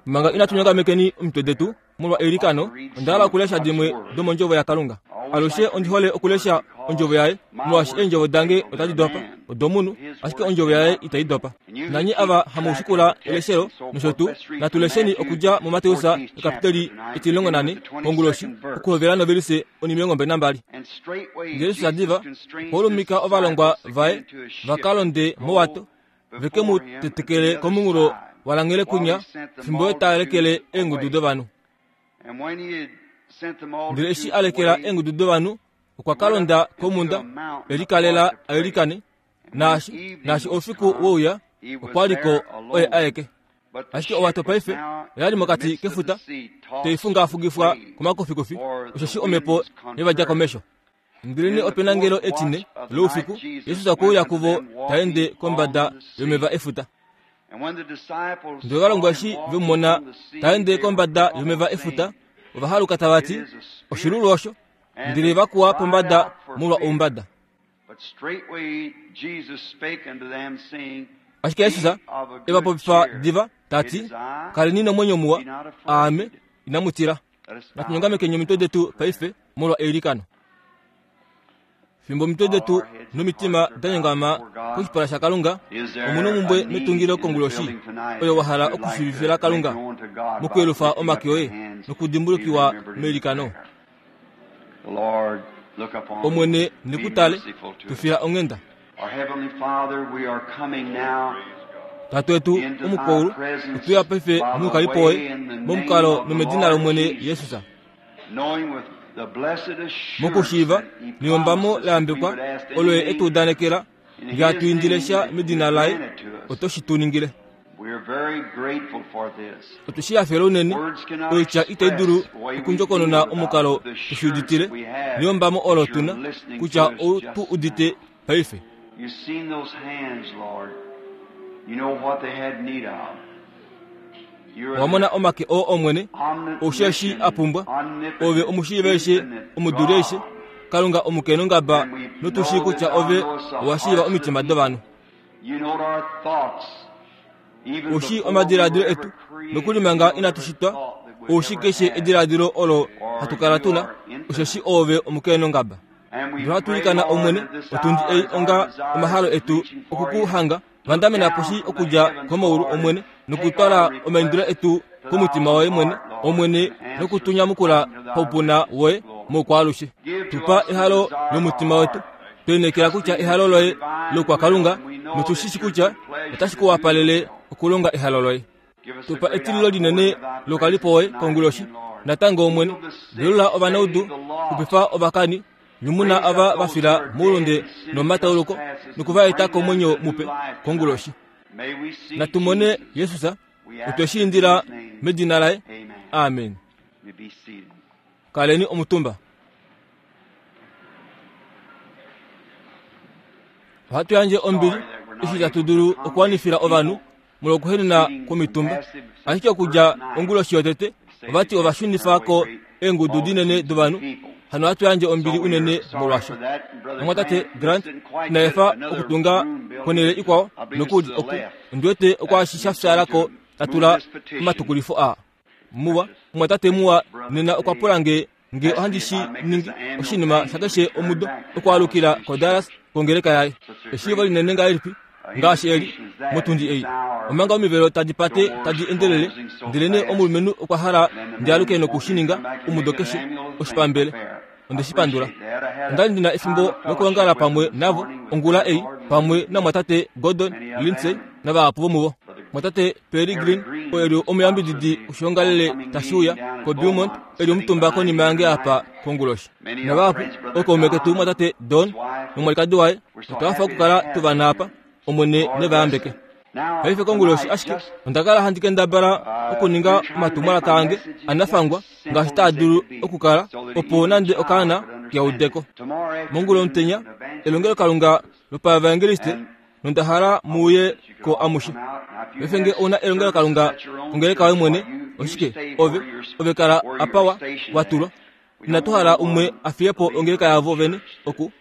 Manga inatu nyongamekeni omitwe detu molwa eilikano, onda hala okulesha dimwe domondjovo yaKalunga. Alushe ondi hole okulesha ondjovo yaye, molwaashi eendjovo dange otadi dopa odomunhu, ashike ondjovo yaye itai dopa. Nanye ava hamu shikula eleshelo nosho tuu, natu lesheni okudja muMateus ekapiteli etimulongo nane konguloshi, okuhovela novelise onimilongo 22. Ndele Jesus diva okwa ulumika ovalongwa vaye va ka londe mowato, ve ke mu tetekele komunghulo walanghele kunya fimbo ye ta lekele eengudu dovanhu. Ndele eshi a lekela eengudu dovanhu, okwa ka londa komhunda e likalela a ilikane, naashi naashi oufiku we uya, okwa li ko oye aeke. Ashike owato paife oya li mokati kefuta, tai fungaafungifwa komakufikufi, osheshi omhepo ye va dja komesho. Ndelenee ope na ngelo etine loufiku, Jesus okwe uya kuvo ta ende kombada yomeva efuta. Ndele ovalongwa eshi ve mu mona ta ende kombada yomeva efuta, ova haluka tava ti, Oshilulu osho! Ndele va kuwa pombada molwa oumbada. Ashike Jesus e va popifa diva ta ti, Kaleni nomwenyo muwa, aame, inamu tila. Natu nyongamekeni omitwe detu paife molwa eilikano. Fimbo omitwe detu nomitima da nyongama koshipala shaKalunga, omu omhumbwe metungilo konguloshi oyo wa hala okushiivifila Kalunga mokuyelufa omake oye nokudimbulukiwa meilikano. Omwene ne ku tale, tu fila onghenda. Tate wetu omukwaulu, otwe ya paife moukalipo woye, momukalo nomedina lOmwene Jesus. Mokushiiva neyombamo la yambekwa olo ye e tu udanekela, nge hatu indile sha medina laye, oto shi tu ningile. Otwe shi hafela unene, oitya itai dulu okundjokonona omukalo tu shi uditile, neyombamo olo tu na, kutya ou tu udite paife. Owa mona omake oo Omwene, ou eshi a pumbwa. Ove omushiiva-aishe, omuduli-aishe, Kalunga omukenongaba, notu shii kutya Ove owa shiiva omitima dovanhu. Ou shii omadiladilo etu, nokuli manga inatu shitwa, ou shii keshe ediladilo olo hatu kala tu na, osheshi Oove omukenongaba. Ndele ohatu ilikana Omwene otundi ei onga omahalo etu oku ku hanga, vandamena poshi okudja komaulu Omwene, nokutwala omaindilo etu komutima woye mwene, Omwene, noku tu nyamukula paupuna woye moukwaalushe. Tu pa ehalo lomutima wetu. Twe lineekela kutya ehalo loye loukwakalunga, notu shi shi kutya otashi ku wapalele okulonga ehalo loye. Tu pa etililo linene lokalipo woye konguloshi natango Omwene. Velula ovanaudu, xupifa ovakani, nyumuna ava va fila moulunde nomomatauluko, noku va eta komwenyo mupe konguloshi. Natu mone Jesus, otwe shi indila medina laye. Amen. Kaleni omutumba. Ohatu yandje ombili eshi tatu dulu okuwanifila ovanhu molwokuhenena kwomitumba. Ashike okudja onguloshi yotete, ova ti ova shunifa ko eengudu dinene dovanhu. Hano ohatu yandje ombili unene molwasho. Omumwatate Grant ina efa okutunga konhele ikwao nokuli oku ondi wete okwaashi sha fyaala ko ta tula omatukulifo aa. Muwa, omumwatate muwa nena okwa pula nge nge ohandi shi ningi oshinima shakeshe omudo okwaalukila koDallas kongeleka yaye. Eshiivo linene ngahelipi ngaashi eli motundi ei, omanga omivelo tadi pate tadi endelele, ndelenee omulumenhu okwa hala ndi aluke noku shi ninga omudo keshe oshipambele. Onde shi pandula. Onda li ndi na efimbo lokuongala pamwe navo ongula ei, pamwe namwatate Gordon Lindsay navahapu vomuvo. Mwatate Pearry Green, oo e li omuyambididi woshiongalele tashi uya koBeaumont, e li omutumba konima yange apa konguloshi. Navahapu, ookaume ketu mwatate Don nomwalikadi waye, otwa hafa okukala tu va na apa. Omwene ne va yambeke. Paife konguloshi ashike onda kala handi kendabala okuninga omatumwalaka ange anafangwa ngaashi taa dulu okukala, opo nande okaana ke ude ko. Mongula omutenya, elongelokalunga lopaevangeliste, nonda hala mu uye ko amushe. Paife nge ou na elongelokalunga kongeleka yoye mwene, oshike, ove, ove kala apa wa, wa tulwa. Inatu hala umwe a fiye po ongeleka yavo vene oku.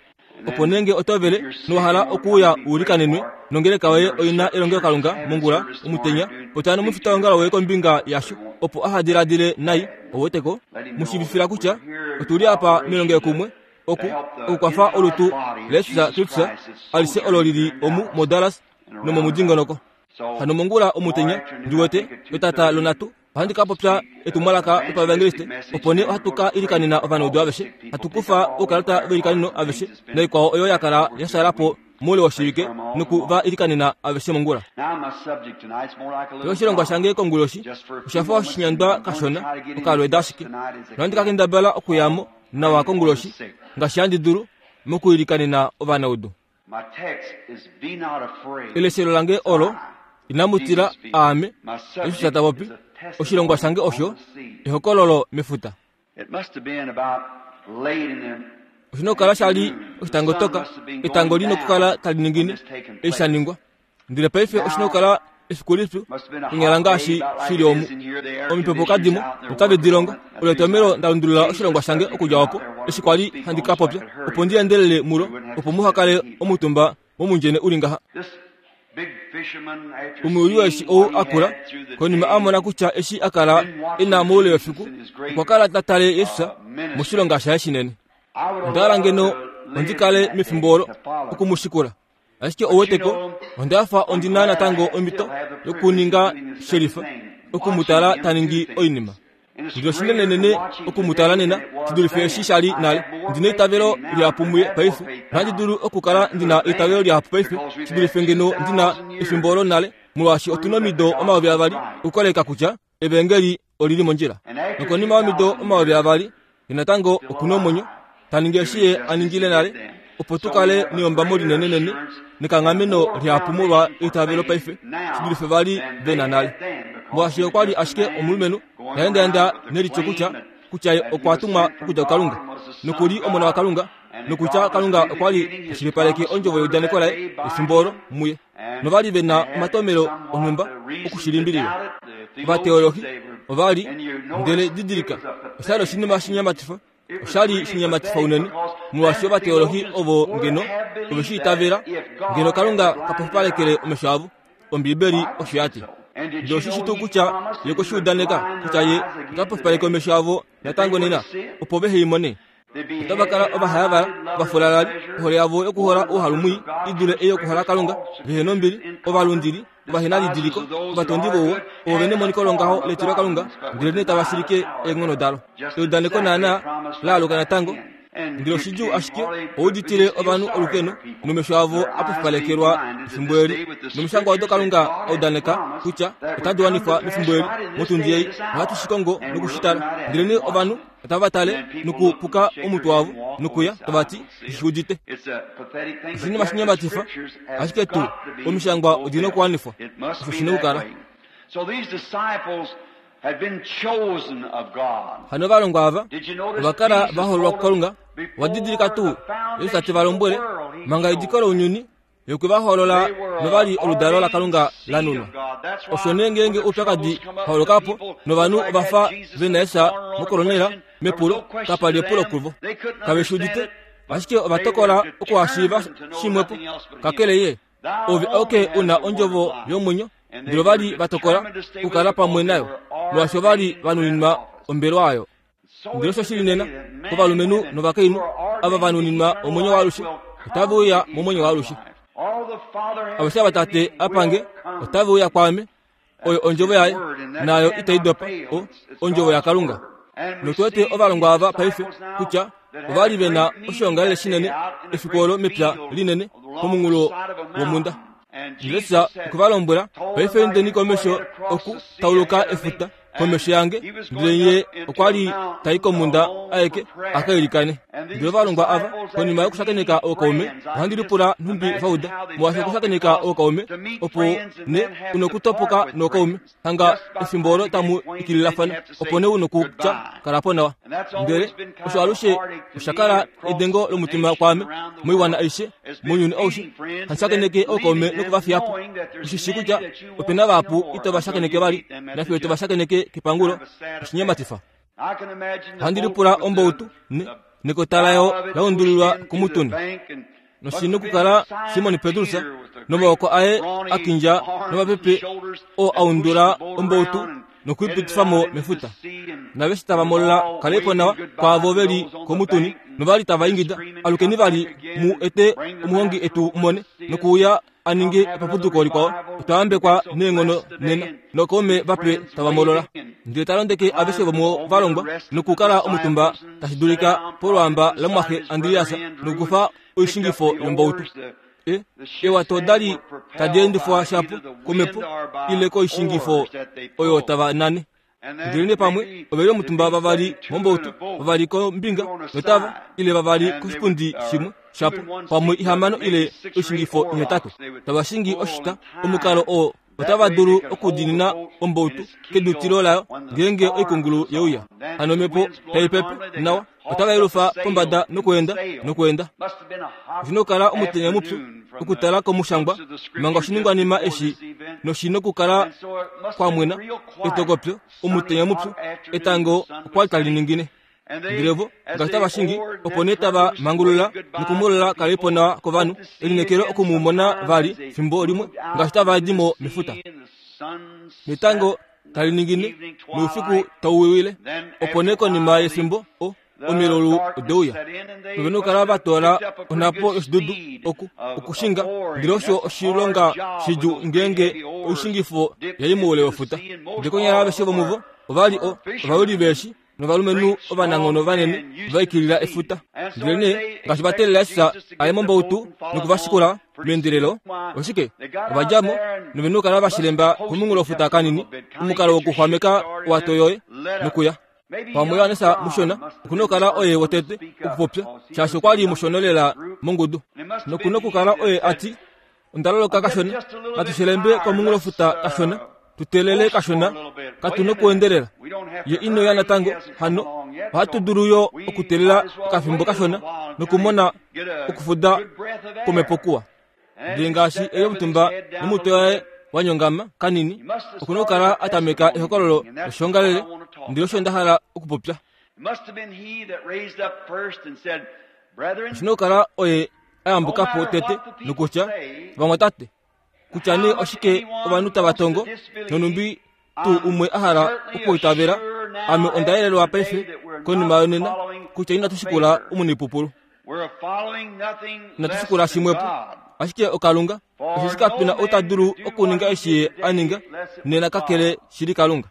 Opo nee nge oto vele nowa hala okuuya u ilikanenwe, nongeleka yoye oi na elongelokalunga mongula, omutenya, popya nomufitaongalo woye kombinga yasho, opo aha diladile nai, ou wete ko? Mu shiivifila kutya otu li apa melongelokumwe oku, okukwafa olutu laJesus Kristus alishe olo li li omu moDallas nomomudingonoko. Hano mongula omutenya, ndi wete, etata lonhatu, Ohandi ka popya etumwalaka lopaevangeliste, opo nee ohatu ka ilikanena ovanaudu aveshe, hatu kufa oukalata veilikaneno aveshe naikwao oyo ya kala ya shaala po moule woshivike noku va ilikanena aveshe mongula. Oshilongwa shange konguloshi osha fa oshinyandwa kashona, okalweeda ashike. Nohandi ka kendabala okuya mo nawa konguloshi ngaashi handi dulu mokuilikanena ovanaudu. Eleshelo lange olo, Inamu tila, aame, Jesus ta popi. Oshilongwa shange osho ehokololo mefuta. Oshi na okukala sha li oshitangotoka, etango li nokukala tali ningine, eshi sha ningwa. Ndele paife oshi na okukala efiku lipyu konyala ngaashi shi li omu. Omipepo kadi mo, notave di longo. Olo etomhelo nda lundulula oshilongwa shange okudja opo, eshi kwa li handi ka popya, opo ndi endelele mulo, opo muha kale omutumba momundjene u li ngaha. Omuyuli weeshi ou a kula, konima a mona kutya eshi a kala e na moule wefiku, okwa kala ta tale Jesus moshilonga shaye shinene. Onda hala ngeno ondi kale mefimbo olo oku mu shikula. Ashike ou wete ko, onda fa ondi na natango omhito yokuninga shelifa, oku mu tala ta ningi oinima. Ndele oshinenenene oku mu tala nena shi dulife eshi sha li nale. Ndi na eitavelo lihapu muye paife. Ohandi dulu okukala ndi na eitavelo lihapu paife shi dulife ngeno ndi na efimbo olo nale, molwaashi otu na omido 2000 okukoleka kutya Evangeli oli li mondjila. Nokonima yomido 2000, ye natango oku na omwenyo, ta ningi eshi ye a ningile nale, opo tu kale neyombamo linenenene nekanghameno lihapu molwa eitavelo paife shi dulife vali ve na nale. Molwaashi okwa li ashike omulumenhu ta endaenda nelityo kutya kutya ye okwa tumwa okudja kuKalunga noku li Omona waKalunga, nokutya Kalunga okwa li ta shilipaleke ondjovo yeudaneko laye efimbo olo muye. Nova li ve na omatomhelo onhumba oku shi limbililwa. Ovateolohi ova li, ndele didilika, osha li oshinima shinyamatifa, osha li shinyamatifa unene, molwaashi ovateolohi ovo ngeno ove shi itavela, ngeno Kalunga ka pofipalekele omesho avo. Ombibeli osho ya ti. Ndele oshi shi tuu kutya Ye okwe shi udaneka kutya Ye ota pofipaleke omesho avo natango nena, opo vehe i mone? Otava kala ovahayavala, ovafulalali, ohole yavo yokuhola ouhalu mwii i dule ei yokuhola Kalunga, vehe nombili, ovalundili, ovahenalidiliko, ovatondi vouwa, ovo ve nemoniko longaho letilokalunga, ndelenee tava shilike eenghono dalo. Eudaneko naanaa la aluka natango, ndele oshidjuu ashike ouditile ovanhu olukeno nomesho avo a pofipalekelwa efimbo eli. Nomishangwa odo Kalunga a udaneka kutya otadi wanifwa mefimbo eli, motundi ei, ohatu shi kongo noku shi tala. Ndelenee ovanhu otava tale nokupuka omutwe wavo nokuya tava ti, Shi udite. Oshinima shinyamatifa, ashike tuu omishangwa odi na okuwanifwa. Osho shi na okukala. Hano ovalongwa ava ova kala va hoololwa kuKalunga. Owa didilika tuu Jesus te va lombwele manga ediko lounyuni Ye okwe va hoolola nova li oludalo laKalunga la nunwa. Osho nee ngeenge oupyakadi holoka po novanhu ova fa ve na Jesus mokolonela mepulo, kapa li epulo kuvo. Kave shi udite, ashike ova tokola okuhashiiva shimwepo kakele ye. Ove auke u na ondjovo yomwenyo, ndele ova li va tokola okukala pamwe nayo, molwaashi ova li va nuninwa ombelwa oyo. Ndele osho shili nena kovalumenhu novakainhu ava va nuninwa omwenyo waalushe, otave uya momwenyo waalushe. Aveshe ava Tate a pa nge, otave uya kwaame. Oyo ondjovo yaye, naayo itai dopa, o, ondjovo yaKalunga. Notu wete ovalongwa ava paife kutya ova li ve na oshoongalele shinene efiku olo mepya linene komunghulo womhunda. Jesus okwe va lombwela, paife indeni komesho oku tauluka efuta komesho yange. Ndele ye okwa li ta i komhunda aeke a ka ilikane. Ndele ovalongwa ava, konima yokushakeneka ookaume, ohandi lipula nhumbi va uda, molwaashi okushakeneka ookaume opo ne u nokutopoka nookaume hanga efimbo olo tamu ikililafana, opo nee u nokutya kala po nawa. Ndele osho alushe osha kala edengo lomutima kwaame moiwana aishe mounyuni aushe, handi shakeneke ookaume noku va fiya po. Ushi shii kutya ope na vahapu ito va shakeneke vali, nafiyo to va shakeneke kepangulo. Oshinyematifa. Ohandi lipula ombautu ne. Nekota layo la undulilwa komutuni. Noshi nokukala Simon Petrus nomaoko aye a kindja nomapepe oo a undula ombautu nokuipitifa mo mefuta. Naveshe tava molola kalepo nawa kwaavo ve li komutuni novali tava ingida, Alukeni vali mu ete omuhongi etu mone nokuuya a ninge epapuduko likwao. Otwa yambekwa neenghono nena nookaume vape tava molola. Ndele ta londeke aveshe vomovalongwa nokukala omutumba tashi dulika polwaamba lamumwaxe Andreas nokukufa oishingifo yombautu. E, eewato oda li tadi endifwa shapo komhepo ile koishingifo oyo tava nane. Ndelenee pamwe ove li omutumba vavali mombautu, vavali kombinga notava ile vavali koshipundi shimwe shapo, pamwe ihamano ile oishingifo ihetatu, tava shingi oshita. Omukalo oo otava dulu okudiinina ombautu kedutilo layo ngeenge oikungulu ye uya. Hano omhepo tai pepe nawa, otava yelufa pombada nokweenda nokweenda. Oshi na okukala omutenya mupyu okutala komushangwa manga oshiningwanima eshi noshi na okukala kwa mwena etokopyo omutenya mupyu etango okwa li tali ningine. Ndele vo ngaashi tava shingi opo nee tava mangulula nokumolola kalepo nawa kovanhu elineekelo oku mu mona vali fimbo limwe ngaashi tava di mo mefuta. Netango tali ningine noufiku tau wiwile. Opo nee konima yefimbo o omilulu ode uya. Ove na okukala va toola onhapo yoshidudu oku okushinga, ndele osho oshilonga shidjuu ngeenge oishingifo ya i moule wefuta. Ndele konyala aveshe vomuvo ova li o ovayuli veeshi novalumenhu ovananghono vanene va ikilila efuta. Ndelenee ngaashi va teelela Jesus a ye mombautu noku va shikula meendelelo, oshike ova dja mo nove na okukala va shilemba komunghulofuta kanini, omukalo wokuxwameka owato yoye nokuya. Pamwe Johannes mushona oku na okukala oye wotete okupopya, shaashi okwa li mushona lela mongudu. Noku na okukala oye a ti, Onda loloka kashona, natu shelembe komunghulofuta kashona, tu teelele kashona, katu nokuendelela. Ye ino ya natango, hano ohatu dulu yo okuteelela okafimbo kashona nokumona okufuda kwomhepo kuwa. Ndele ngaashi e li omutumba nomutwe waye wa nyongama kanini, oku na okukala a tameka ehokololo loshoongalele, ndele osho nda hala okupopya. Oshi na okukala oye a yambuka po tete nokutya, Vamwatate, kutya nee oshike ovanhu tava tongo nonhumbi tuu umwe a hala okuitavela, ame onda yelelwa paife konima yonena kutya inatu shikula omunipupulu. Inatu shikula shimwepo, ashike oKalunga, osheshi kape na ou ta dulu okuninga eshi ye a ninga nena kakele shili Kalunga.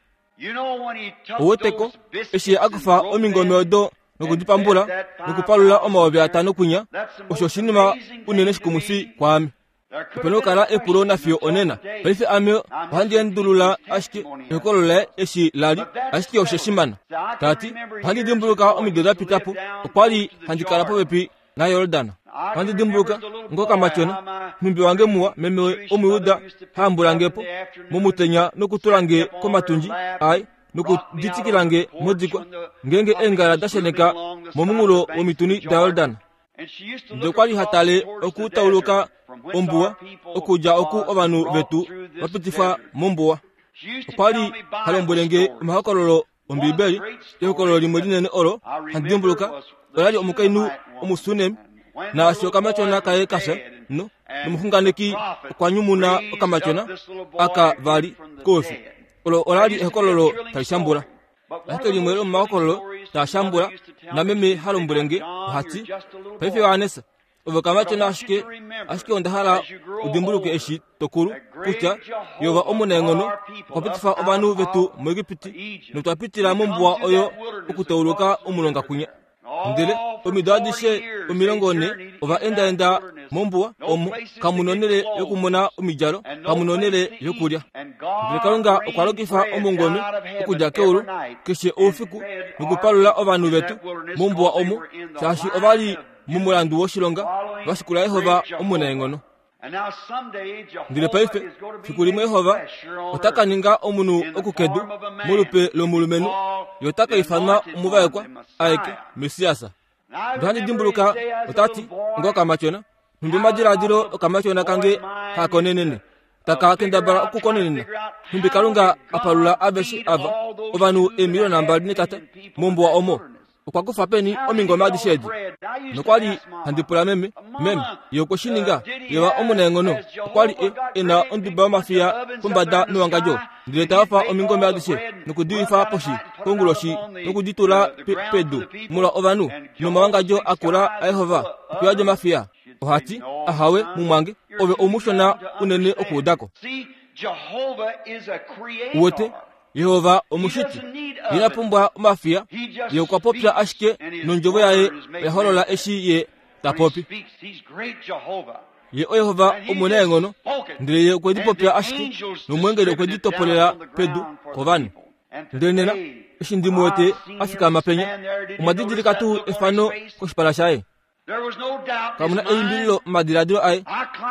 Ouweteko, eshi ye a kufa omingome odo noku di pambula nokupalula 5000 kwinya, osho oshinima unene shikumwifi kwaame. Ope na okukala epulo nafiyo onena. Paife ame ohandi endulula ashike ehokololo laye eshi la li, ashike oshe shi mana. Ta ti, Ohandi dimbuluka omido da pita po, okwa li handi kala popepi naJordan. Ohandi dimbuluka ngokamatyona, nhumbi wange muwa, meme Omuyuda ha hambula nge po momutenya nokutula nge komatundji aye nokuditikila nge modikwa ngeenge eengala da sheneka momunghulo womituni daJordan. Ndele okwa li ha tale okutauluka ombuwa okudja oku ovanhu vetu va pitifwa mombuwa. Okwa li ha lombwele nge omahokololo Ombibeli, ehokololo limwe linene olo handi dimbuluka ola li omukainhu Omusunem naashi okamatyona kaye ka fya no nomuxunganeki okwa nyumuna okamatyona aka vali koufi. Olo ola li ehokololo tali shambula. Ashike limwe lomomahokololo taa shambula nameme ha lombwele nge oha ti, Paife Johannes, Ove okamatyona ashike, ashike onda hala u dimbuluke eshi to kulu kutya Jehova omunaenghono okwa pitifa ovanhu vetu muEgipiti notwa pitila mombuwa oyo okutauluka omulonga kwinya. Ndele omido adishe 40 ova endaenda mombuwa omo kamu nonhele yokumona omidjalo, kamu nonhele yokulya. Ndele Kalunga okwa lokifa omungome okudja keulu keshe oufiku nokupalula ovanhu vetu mombuwa omo, shaashi ova li momulandu woshilonga va shikula Jehova omunaenghono. Ndele paife, fiku limwe Jehova ota ka ninga omunhu okukedu molupe lomulumenhu, ye ota ka ifanwa omuvaekwa aeke, Messias. Ndele ohandi dimbuluka ota ti, Ngokamatyona, nhumbi omadiladilo okamatyona kange haa konenene, taka kendabala okukonenena nhumbi Kalunga a palula aveshe ava, ovanhu 2,300,000 mombuwa omo. Okwa kufa peni omingome adishe edi? Nokwa li handi pula meme, Meme, ye okwe shi ninga? Yeva omunaenghono okwa li e, e na onduba yomafiya pombada mewangadjo, ndele ta yofa omingome adishe noku di wifa poshi konguloshi noku di tula pe, pedu molwa ovanhu, nomawangadjo a kula aYehova okuyadi omafiya. Oha ti, Ahawe, mumwange, ove oumushona unene okuuda ko. Uwete, Jehova omushiti, ina pumbwa omafiya. Ye okwa popya ashike nondjovo yaye oya holola eshi ye ta popi. Ye oYehova omunaenghono, ndele ye okwe di popya ashike nomweengeli okwe di topolela pedu kovanhu. Ndele nena, eshi ndi mu wete a fikama penya, omwa didilika tuu efano koshipala shaye? Kamu na elimbililo momadiladilo aye.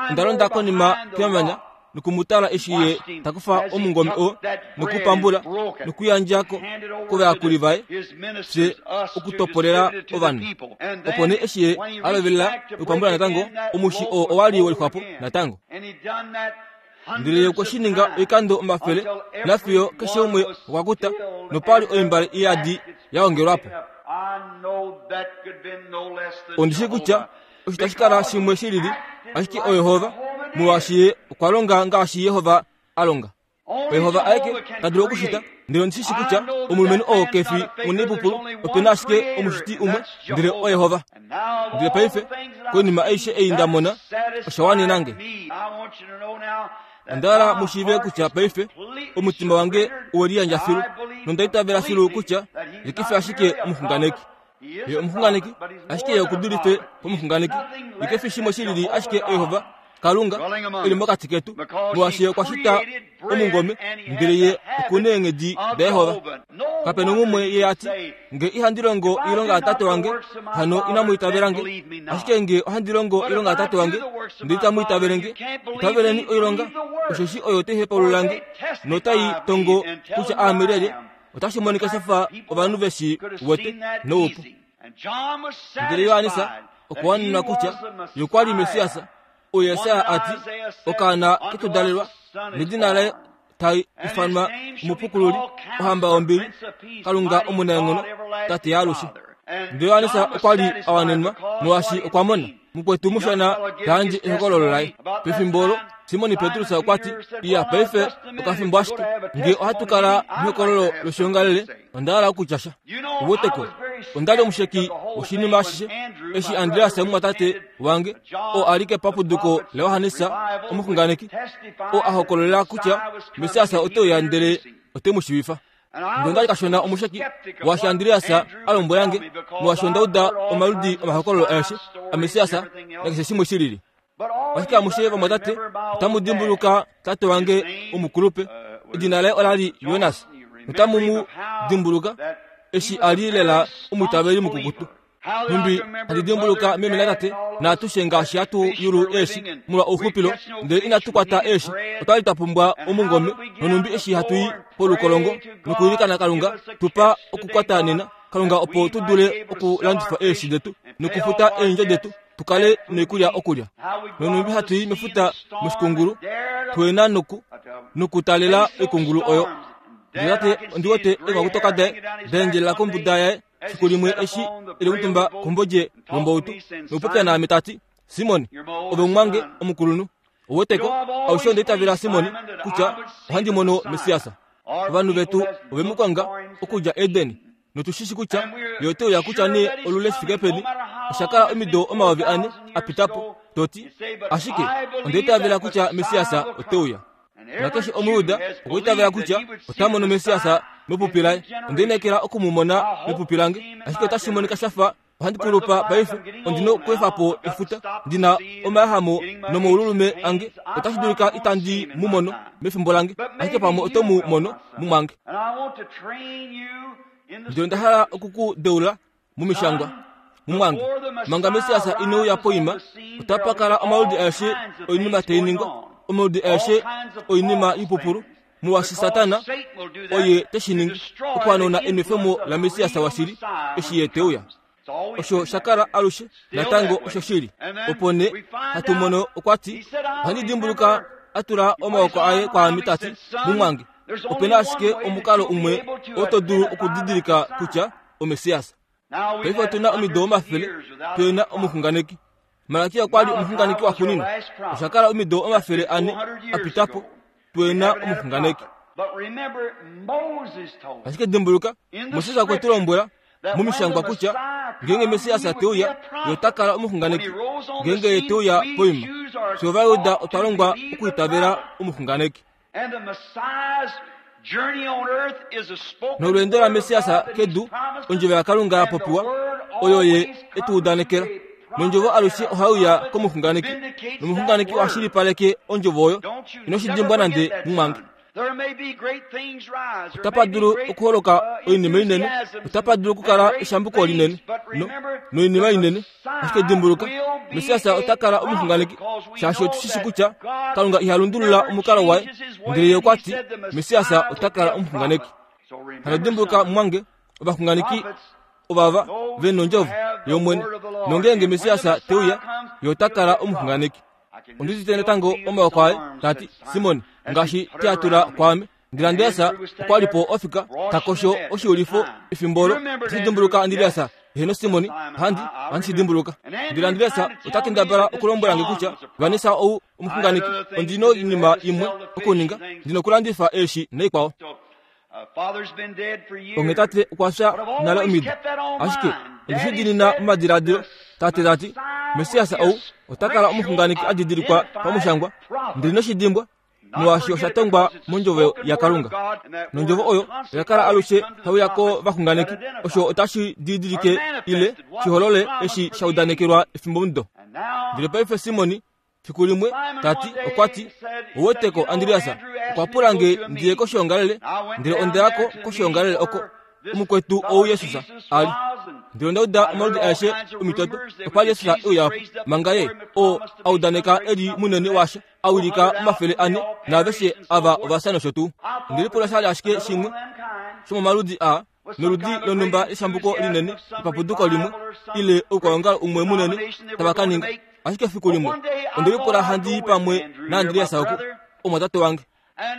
Onda londa konima kemanya noku mu tala eshi ye ta kufa omungome oo nokupambula nokuyandja ko kovayakuli vaye fye okutopolela ovanhu. Opo nee eshi ye a lovelela nokupambula natango, omushi oo owa li we lixwapo natango. Ndele ye okwe shi ninga oikando omafele, nafiyo keshe umwe okwa kuta, nopa li oimbale iyadi ya ongelwa po. Ondi shii kutya osho tashi kala shimwe shi lili, ashike oYehova, molwaashi ye okwa longa ngaashi Jehova a longa. OYehova aeke ta dulu okushita, ndele ondi shi shii kutya omulumenhu oo ke fi omunaipupulu, ope na ashike omushiti umwe, ndele oYehova. Ndele paife, koinima aishe ei nda mona, osha wanena nge. Onda hala mu shiive kutya paife omutima wange owe liyandja filu, nonda itavela filu kutya ye ke fi ashike omuxunganeki. Ye omuxunganeki, ashike ye oku dulife pomuxunganeki. Ye ke fi shimwe shi lili ashike oYehova Kalunga e li mokati ketu, molwaashi ye okwa shita omungome, ndele ye oku neenghedi daYehova. Kape nomumwe ye a ti, Nge ihandi longo oilonga yaTate wange, hano inamu itavela nge. Ashike nge ohandi longo oilonga yaTate wange, ndele itamu itavele nge, itaveleni oilonga, osheshi oyo tai hepaulula nge, notai tongo kutya aame lyelye. Otashi monika sha fa ovanhu ve shi wete noupu. Ndele Johannes okwa wanenwa kutya ye okwa li Messias, oo Jesaja a ti, Okaana ke tu dalelwa, nedina laye tai ifanwa Omupukululi, Ohamba yombili, Kalunga omunaenghono, Tate yaalushe. Ndele Johannes okwa li a wanenwa molwaashi okwa mona mukwetu mushona ta yandje ehokololo laye. Pefimbo olo, Simon Petrus okwa ti, Iya, paife okafimbo ashike, nge ohatu kala mehokololo loshiongalele, onda hala okutya sha. Uweteko, onda li omusheki woshinima ashishe eshi Andreas omumwatate wange, oo a li kepapuduko laJohannes omuxunganeki, oo a hokololela kutya Messias ote uya ndele ote mu shiivifa. Ndele onda li kashona omusheki waashi Andreas a lombwela nge, molwaashi onda uda omaludi omahokololo aeshe aMessias nakeshe shimwe shi lili. Ashike amushe vamwatate otamu dimbuluka tate wange omukulupe, edina laye ola li Jonas, notamu mu dimbuluka eshi a li lela omwiitaveli mukukutu. Nhumbi handi dimbuluka meme natate naatushe ngaashi hatu yulu eeshi molwa ouxupilo, ndele inatu kwata eeshi, otwa li twa pumbwa omungome, nonhumbi eshi hatu i polukolongo nokuilikana Kalunga tu pa okukwata nena, Kalunga opo tu dule okulandifa eeshi detu nokufuta eendjo detu tu kale noikulya okulya. Nonhumbi hatu i mefuta moshikungulu, tuena noku nokutalela oikungulu oyo. Ndele tate ondi wete eenghwakutoka daye da endjelela kombuda yaye fiku limwe eshi e li omutumba kombodje yombautu nokupopya naame ta ti, Simon, ove omumwange omukulunhu. Ouweteko, aushe onda itavela Simon kutya ohandi mono Messias. Ovanhu vetu ove mu konga okudja Eden, notu shi shi kutya ye ote uya kutya nee olule shi fike peni. Osha kala omido 4000 a pita po, to ti, ashike onda itavela kutya Messias ote uya. Nakeshe Omuyuda okwa itavela kutya ota mono Messias mepupi laye. Onda lineekela oku mu mona mepupi lange, ashike otashi monika sha fa ohandi kulupa paife. Ondi na okweefa po efuta, ndi na omayahamo nomaululume ange. Otashi dulika itandi mu mono mefimbo lange, ashike pamwe oto mu mono mumwange. Ndele onda hala oku ku deula mOmishangwa, mumwange. Manga Messias ine uya poima, otapa kala omaludi aeshe oinima tai ningwa, omaludi aeshe oinima ipupulu, molwaashi Satana oye te shi ningi okuhanauna enwefemo laMessias washili eshi ye te uya. Osho sha kala alushe natango osho shili. Opo nee hatu mono okwa ti, ohandi dimbuluka a tula omaoko aye kwaame ta ti, Mumwange, ope na ashike omukalo umwe oo to dulu okudidilika kutya oMessias. Paife otu na omido omafele tu na omuxunganeki. Malakia okwa li omuxunganeki waxuuninwa. Osha kala omido 400 a pita po tu na omuxunganeki. Ashike dimbuluka, Moses okwe tu lombwela momishangwa kutya ngeenge Messias te uya, ye ota kala omuxunganeki. Ngeenge ye te uya poima, fye Ovajuda otwa longwa okuitavela omuxunganeki. Nolweendo laMessias kedu, ondjovo yaKalunga ya popiwa, oyo ye e tu udanekela. Nondjovo alushe ohai uya komuxunganeki, nomuxunganeki oha shilipaleke ondjovo oyo. Ino shi dimbwa nande, mumwange. Otapa dulu okuholoka oinima inene, otapa dulu okukala eshambuko linene no, noinima inene, ashike dimbuluka, Messias ota kala omuxunganeki, shaashi otu shi shi kutya Kalunga iha lundulula omukalo waye, ndele ye okwa ti Messias ota kala omuxunganeki. Hano dimbuluka, mumwange, ovaxunganeki ovava ve nondjovo yOmwene, nongeenge Messias te uya, ye ota kala omuxunganeki. Ondi udite natango omaoko aye ta ti, Simon, ngaashi te a tula kwaame. Ndele Andreas okwa li po ofika ta kosho oshiulifo efimbo olo. Oto shi dimbuluka Andreas? Heeno Simon, ohandi, ohandi shi dimbuluka. Ndele Andreas ota kendabala okulombwela nge kutya Vanessa ou omuxunganeki. Ondi noinima imwe okuninga, ndi nokulandifa eeshi naikwao. Onghee tate okwa fya nale omido. Ashike onde shi diinina momadiladilo, tate ta ti, Messias ou ota kala omuxunganeki a didilikwa pamushangwa, ndele ino shi dimbwa, molwaashi osha tongwa mondjovo yaKalunga. Nondjovo oyo oya kala alushe hai uya kovaxunganeki. Osho otashi didilike ile shi holole eshi sha udanekelwa efimbomudo. Ndele paife Simon Fiku limwe, ta ti, okwa ti, Ouweteko, Andreas, okwa pula nge ndi ye koshoongalele, ndele onda ya ko koshoongalele oko omukwetu ou Jesus a li. Ndele onda uda omaludi aeshe omitoto, okwa li Jesus e uya po, manga ye, oo a udaneka e li munene waasha, a wilika 400, naaveshe ava ova fya nosho tuu. Onde lipula sha li ashike shimwe shomomaludi aa, noludi lonhumba eshambuko linene lepapuduko limwe ile oukwaongalo umwe munene tava ka ninga. Ashike efiku limwe onde lipula handi i pamwe naAndreas oku, omwatate wange.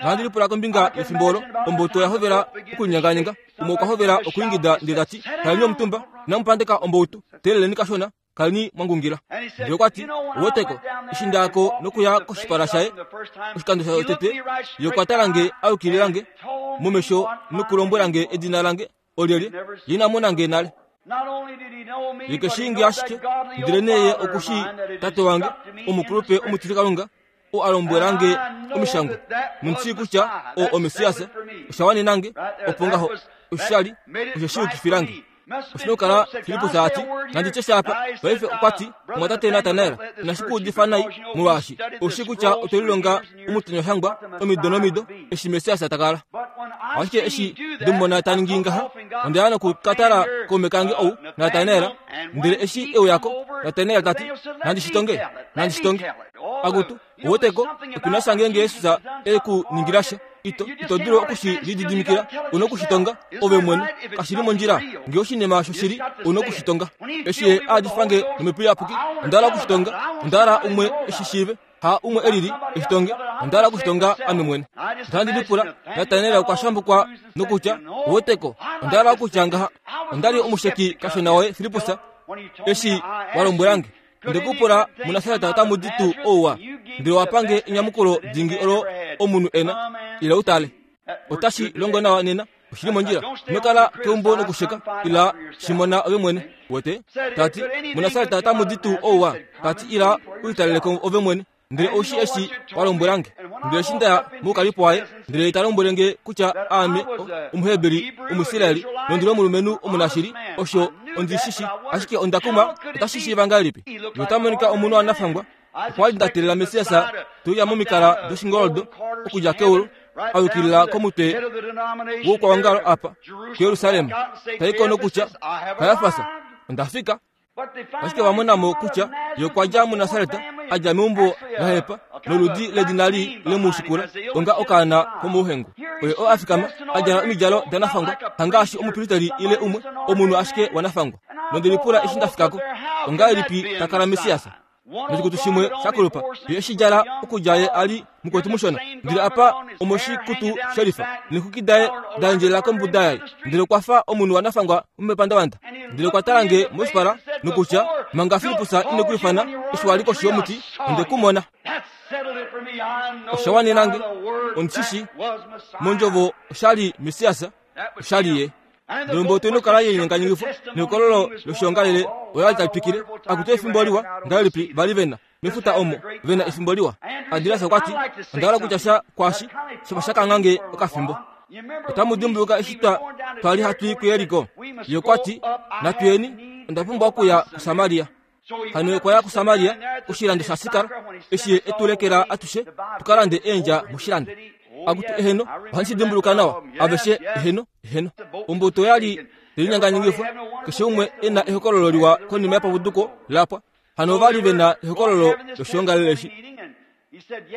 Nohandi lipula kombinga yefimbo olo ombuto ya hovela okulinyenganyenga. Umwe okwa hovela okwiingida ndele ta ti, Kaleni omutumba, inamu pandeka omboutu, teeleleni kashona. Kaleni mwa ngungila. Ndele okwa ti, Ouweteko, eshi nda ya ko nokuya koshipala shaye oshikando shotete, ye okwa tala nge a yukilila nge momesho nokulombwela nge edina lange olyelye, ye ina mona nge nale. Ye ke shii nge ashike, ndelenee ye oku shii tate wange, omukulupe omutilikalunga, oo a lombwela nge omishangwa, nondi shii kutya oo oMessias, osha wanena nge, opo ngaho osha li osho shi yukifila nge. Oshi na okukala Filippus a ti, Nandi tye sha apa. Paife okwa ti, Omwatate Natanael, inashi ku udifa nai, molwaashi ou shii kutya otwe lilonga omutonyashangwa omido nomido eshi Messias ta kala. Ashike eshi nde mu mona ta ningi ngaha, onda ya noku ka tala kaume kange ou, Natanael, ndele eshi e uya ko, Natanael ta ti, Nandi shi tonge, nandi shi tonge. Akutu, ouweteko, otu na sha ngeenge Jesus e ku ningila sha. Ito, ito dulu oku shi lididimikila. U na oku shi tonga, ove mwene. Kashi li mondjila. Ngee oshinima osho shili, u na oku shi tonga. Eshi Ye a yadifa nge nOmhepo Iyapuki, onda hala oku shi tonga. Onda hala umwe e shi shiive. Ha umwe e lili e shi tonge. Onda hala oku shi tonga ame mwene. Onda lipula, Natanael okwa shambukwa nokutya, Ouweteko, onda hala okutya ngaha. Onda li omusheki kashona woye, Filippus, eshi wa lombwela nge. Onde ku pula, muNasaret otamu di tuu ouwa? Ndele wa pa nge enyamukulo dingi olo omunhu e na. Ila u tale. Otashi longo nawa nena. Oshi li mondjila. Ino kala keumbo nokusheka. Ila, shi mona ove mwene. Wete? Ta ti, muNasaret otamu di tuu ouwa? Ta ti, ila u litalele ko ove mwene. Ndele ou shii eshi wa lombwela nge. Ndele eshi nda ya moukalipo waye, ndele ye ta lombwele nge kutya aame Omuheberi Omuisraeli nondi li omulumenhu omunashili, osho ondi shi shi. Ashike onda kumwa, otashi shiiva ngahelipi? Ye ota monika omunhu a nafangwa. Okwa li nda teelela Messias te uya momikala doshingoldo okudja keulu, a yukilila komutwe woukwaongalo apa kuJerusalem, ta i ko nokutya, Kajafas, onda fika. Ashike va mona mo kutya ye okwa dja muNasaret, a dja meumbo la hepa, noludi ledina lii le mu shikula onga okaana komouhengu. Oye oo a fikama, a djala omidjalo danafangwa, hangaashi omupristeli ile umwe, omunhu ashike wanafangwa. Nonde lipula eshi nda fika ko, Ongahelipi ta kala Messias? Noshikutu shimwe shakulupa ye eshi djala okudja ye a li mukwetu mushona. Ndele apa omoshikutu shelifa, neexwiki daye da endjelela kombuda yaye. Ndele okwa fa omunhu wa nafangwa momepandavanda. Ndele okwa tala nge moshipala nokutya, Manga Filippus ine ku ifana, eshi wa li koshi yomuti, onde ku mona. Osha wanena nge. Ondi shi shii. Mondjovo osha li Messias, osha li Ye. Ndele ombuto ino kala yenyenganyengifwa nehokololo loshiongalele ola li tali twikile. Akutu efimbo liwa ngahelipi va li ve na mefuta omo ve na efimbo liwa. Andreas okwa ti, Onda hala okutya sha kwaashi shafa sha kangha nge okafimbo. Otamu dimbuluka eshi twa twa li hatu i kuJeriko? Ye okwa ti, Natu yeni, onda pumbwa okuya kuSamaria. Hano okwa ya kuSamaria, koshilando shaSikar, eshi ye e tu lekela atushe tu ka lande eendja moshilando. Akutu eheno, ohandi shi dimbuluka nawa, aveshe eheno, eheno. Ombuto ya li telinyanganyingifwa, keshe umwe e na ehokololo liwa konima yepapuduko la pwa. Hano ova li ve na ehokololo loshiongalele eshi.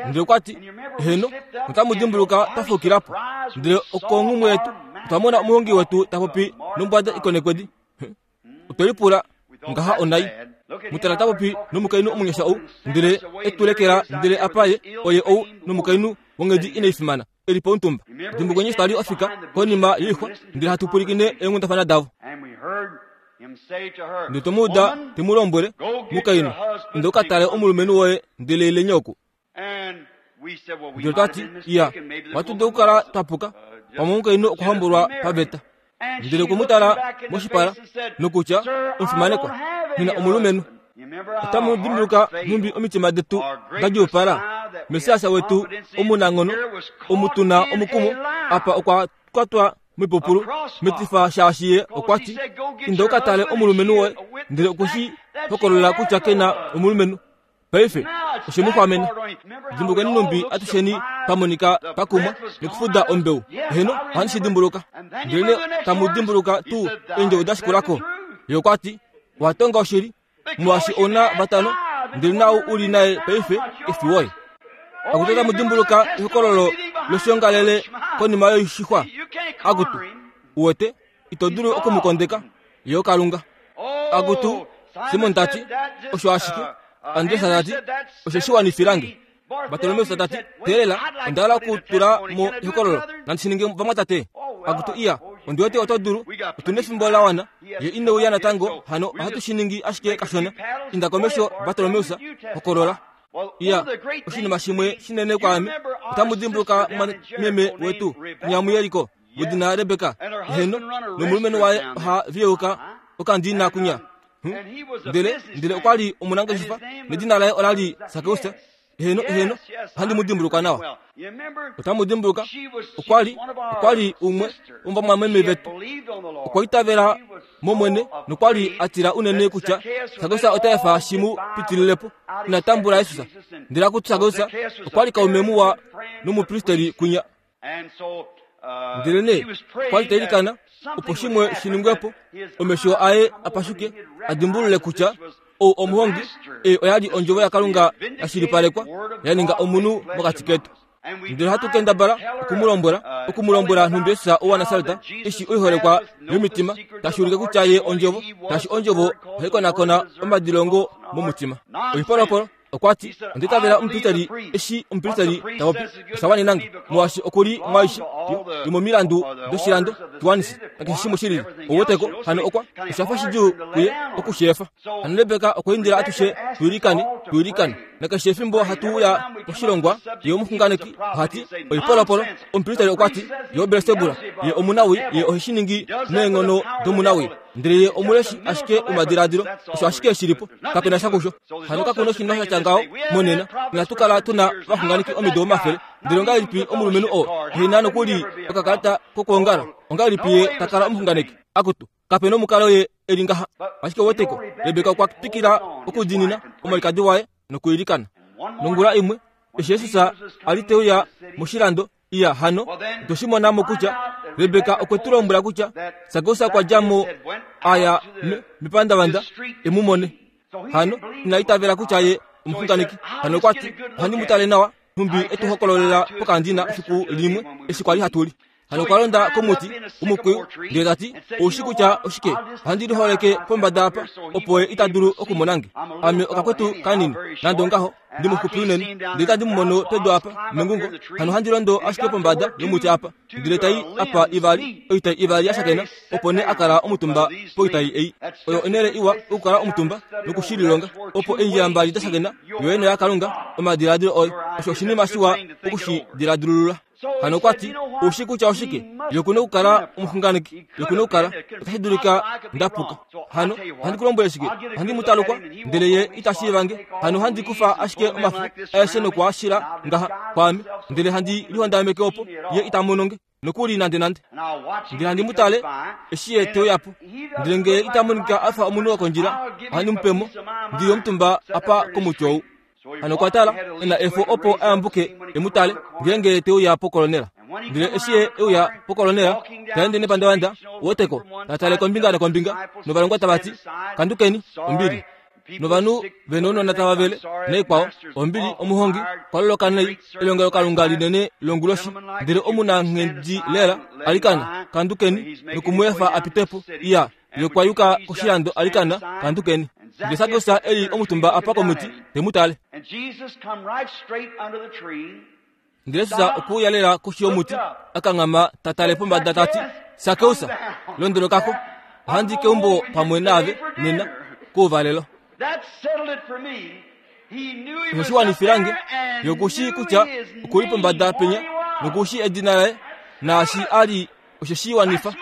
Ndele okwa ti, Eheno, otamu dimbuluka twa fukila po. Ndele okonghumwe yetu, otwa mona omuhongi wetu ta popi nombwada ikonekwedi. Otwe lipula ngaha onai. Mutala ta popi nomukainhu omunyasha ou, ndele e tu lekela ndele apa ye oye ou nomukainhu wonghedi inai fimana e li pomutumba. Dimbulukweni eshi twa li ofika konima yoixwa ndele hatu pwilikine eenghundafana davo. Ndele twe mu uda te mu lombwele, Mukainhu, inda u ka tale omulumenhu woye ndele ileni oku. Ndele twa ti, Iya, ohatu dulu okukala twa puka, pamwe omukainhu okwa hombolwa paveta. Ndele okwe mu tala moshipala nokutya, Omufimanekwa, nghi na omulumenhu. Otamu dimbuluka nhumbi omitima detu da djuupala? Messias wetu omunanghono, omu tu na omukumo, apa okwa kwatwa moipupulu metifa shaashi ye okwa ti, Inda u ka tale omulumenhu woye, ndele okwe shi hokolola kutya ke na omulumenhu. Paife oshe mu xwamena. Dimbulukeni nhumbi atusheni twa monika twa kumwa nokufuda ombeu. Eheno, ohandi shi dimbuluka. Ndelenee tamu dimbuluka tuu eendjovo da shikula ko? Ye okwa ti, Owa tonga oshili, molwaashi ou na vatano, ndele naau u li naye paife ke fi woye. Akutu otamu dimbuluka ehokololo loshiongalele konima yoishixwa? Akutu, uwete, ito dulu oku mu kondeka. Ye oKalunga. Akutu, Simon ta ti, osho ashike. Andreas ta ti, osho shi wanifila nge. Bartolomeus ta ti, teelela, onda hala okutula mo ehokololo. Nandi shi ninge vamwatate. Akutu, iya, ondi wete oto dulu. Otu nefimbo la wana. Ye ine uya natango, hano ohatu shi ningi ashike kashona. Inda komesho, Bartolomeus, hokolola. Iya, oshinima shimwe shinene kwaame. Otamu dimbuluka meme wetu, Nyamuyeliko. wedina Rebeka, eheno, nomulumenhu waye oha viyeuka okandina kunya. Ndele, ndele okwa li omunangeshefa, nedina laye ola li Sakeus. Eheno, eheno, ohandi mu dimbuluka nawa. Otamu dimbuluka, okwa li, okwa li umwe womuvamwameme vetu. Okwa itavela mOmwene nokwa li a tila unene kutya Sakeus ota efa shi mu pitilile po. Ina tambula Jesus. Ndele akutu Sakeus okwa li kaume muwa nomupristeli kunya. Ndelenee okwa li ta ilikana opo shimwe shi ningwe po, omesho aye a pashuke a dimbulule kutya ou omuhongi, ei oya li ondjovo yaKalunga ya shilipalekwa ya ninga omunhu mokati ketu. Ndele ohatu kendabala oku mu lombwela, oku mu lombwela nhumbi Jesus ou waNasaret, eshi oiholekwa yomitima tashi ulike kutya ye ondjovo, shaashi ondjovo ohai konakona omadilongo momutima. Oipolopolo Okwa ti, Onda itavela omupristeli eshi omupristeli ta popi. Osha wanena nge, molwaashi oku li mwaaishe yomomilandu doshilando Kiwanis nakeshe shimwe shi lili. Ou weteko? Hano okwa, osha fa shidjuu kuye oku shi efa. Hano Rebeka okwa indila atushe tu ilikane, tu ilikane. Nakeshe efimbo hatu uya poshilongwa, ye omuxunganeki oha ti, Oipolopolo. Omupristeli okwa ti, Ye oBelsebula. Ye omunawii, ye ohe shi ningi neenghono domunawii. Ndele ye omuleshi ashike womadiladilo, osho ashike shi li po. Kape na sha kusho. Hano kaku noshinima sha tya ngaho monena. Inatu kala tu na ovaxunganeki omido omafele. Ndele ongahelipi omulumenhu oo ehe na nokuli okakalata kokwoongala, ongahelipi ye ta kala omuxunganeki? Akutu, kape nomukalo ye e li ngaha. Ashike weteko, Rebeka okwa twikila okudiinina omwalikadi waye nokwiilikana. Nongula imwe, eshi Jesus a li te uya moshilando, Iya, hano otwe shi mona mo kutya Rebeka okwe tu lombwela kutya Sakeus okwa dja mo a ya mepandavanda e mu mone. Hano ina itavela kutya ye omuxunganeki. Hano okwa ti, Ohandi mu tale nawa, nhumbi e tu hokololela pokandina efiku limwe eshi kwa li hatu li. Hano okwa londa komuti womukwiyu ndele ta ti, Ou shi kutya oshike? Ohandi liholeke pombada apa, opo ye ita dulu okumona nge. Ame okakwetu kanini, nande ongaho, ndi muxupi unene, ndele itandi mu mono pedu apa, mengungo. Hano ohandi londo ashike pombada yomuti apa, ndele tai apa ivali, oitai ivali ya shakena, opo nee a kala omutumba poitai ei. Oyo onhele iwa okukala omutumba noku shi lilonga. Opo eendjila mbali da shakena, yoye noyaKalunga, omadiladilo oye. Osho oshinima shiwa oku shi diladilulula. Hano okwa ti, Ou shii kutya oshike? Ye oku na okukala omuxunganeki. Ye oku na okukala. Otashi dulika nda puka. Hano, ohandi ku lombwele shike? Ohandi mu talukwa, ndele ye ita shiiva nge. Hano ohandi kufa ashike omafo aeshe noku a shila ngaha kwaame, ndele handi lihondameke opo ye ita mono nge, nokuli nandenande. Ndele handi mu tale eshi ye te uya po. Ndele nge ita monika a fa omunhu wokondjila, ohandi mu pe mo, ndi li omutumba apa komuti ou. Hano okwa tala e na efo opo a yambuke e mu tale ngeenge te uya pokolonela. Ndele eshi ye e uya pokolonela, ta ende nepandavanda, woteko, ta tale kombinga nokombinga, novalongwa tava ti, Kandukeni, ombili. Novanhu ve nounona tava vele, naikwao, ombili, omuhongi, kwa loloka nai, elongelokalunga linene longuloshi, ndele omunanghedi lela, alikana, kandukeni, noku mu efa a pite po. Iya, Ye okwa yuka koshilando alikana, kandukeni. Ndele Sakeus e li omutumba apa komuti, te mu tale. Ndele Jesus okwe uya lela koshi yomuti, a kanghama ta tale pombada ta ti, Sakeus, londoloka ko, ohandi i keumbo pamwe naave nena kouvalelo. Osho shi wanifila nge, ye oku shii kutya oku li pombada penya, noku shii edina laye, naashi a li osho shi wanifa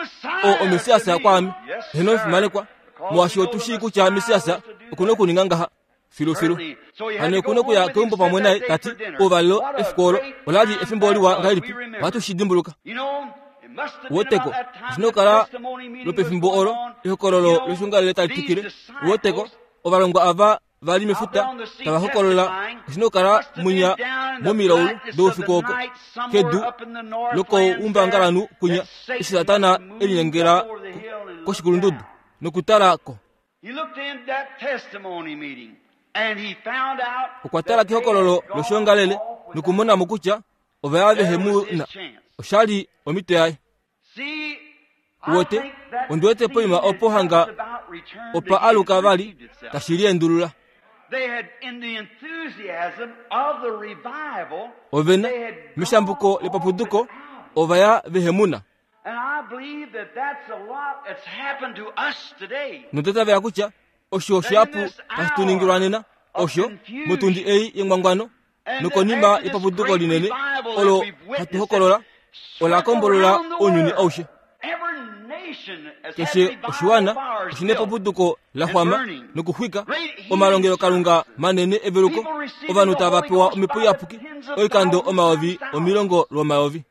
oo omessias kwaame. Heeno omufimanekwa, molwaashi otu shii kutya messias oku na okuninga ngaha filufilu. Hano oku na okuya keumbo pamwe naye, ta ti, Ouvalelo efiku olo ola li efimbo liwa ngahelipi, ohatu shi dimbuluka. Woteko, oshi na okukala lwopefimbo olo ehokololo loshungalele tali twikile. Woteko, ovalongwa ava va li mefuta tava hokolola oshi na okukala munya momilaulu doufiku oko kedu lokoumbangalanhu kwinya eshi Satana e linyengela koshikulundudu nokutala ko. Okwa tala kehokololo loshoongalele nokumona mo kutya ova ya vehe mu na. Osha li omhito yaye. Uwete, ondi wete poima opo hanga opa aluka vali tashi liendulula. Ove na, meshambuko lepapuduko, ova ya vehemuna. Nonda tavela kutya osho shihapu tashi tu ningilwa nena, osho, motundi ei yengwangwano, nokonima yepapuduko linene olo hatu hokolola ola kombolola ounyuni aushe. Keshe oshiwana oshi nepapuduko la xwama nokuxwika omalongelokalunga manene eveluko, ovanhu tava pewa omhepo iyapuki oikando omayovi omilongo lwomayovi.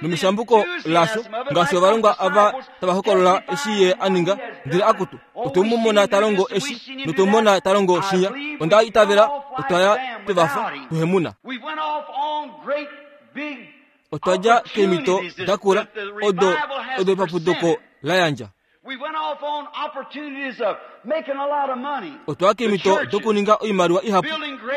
Nomeshambuko lasho, ngaashi ovalongwa ava tava hokolola eshi ye a ninga, ndele akutu, otwe mu mona ta longo eshi, notwe mu mona ta longo shinya. Onda itavela otwa ya twe va fa, tuhemuna. Otwa dja keemhito da kula odo odo epapuduko la yandja. Otwa keemhito dokuninga oimaliwa ihapu,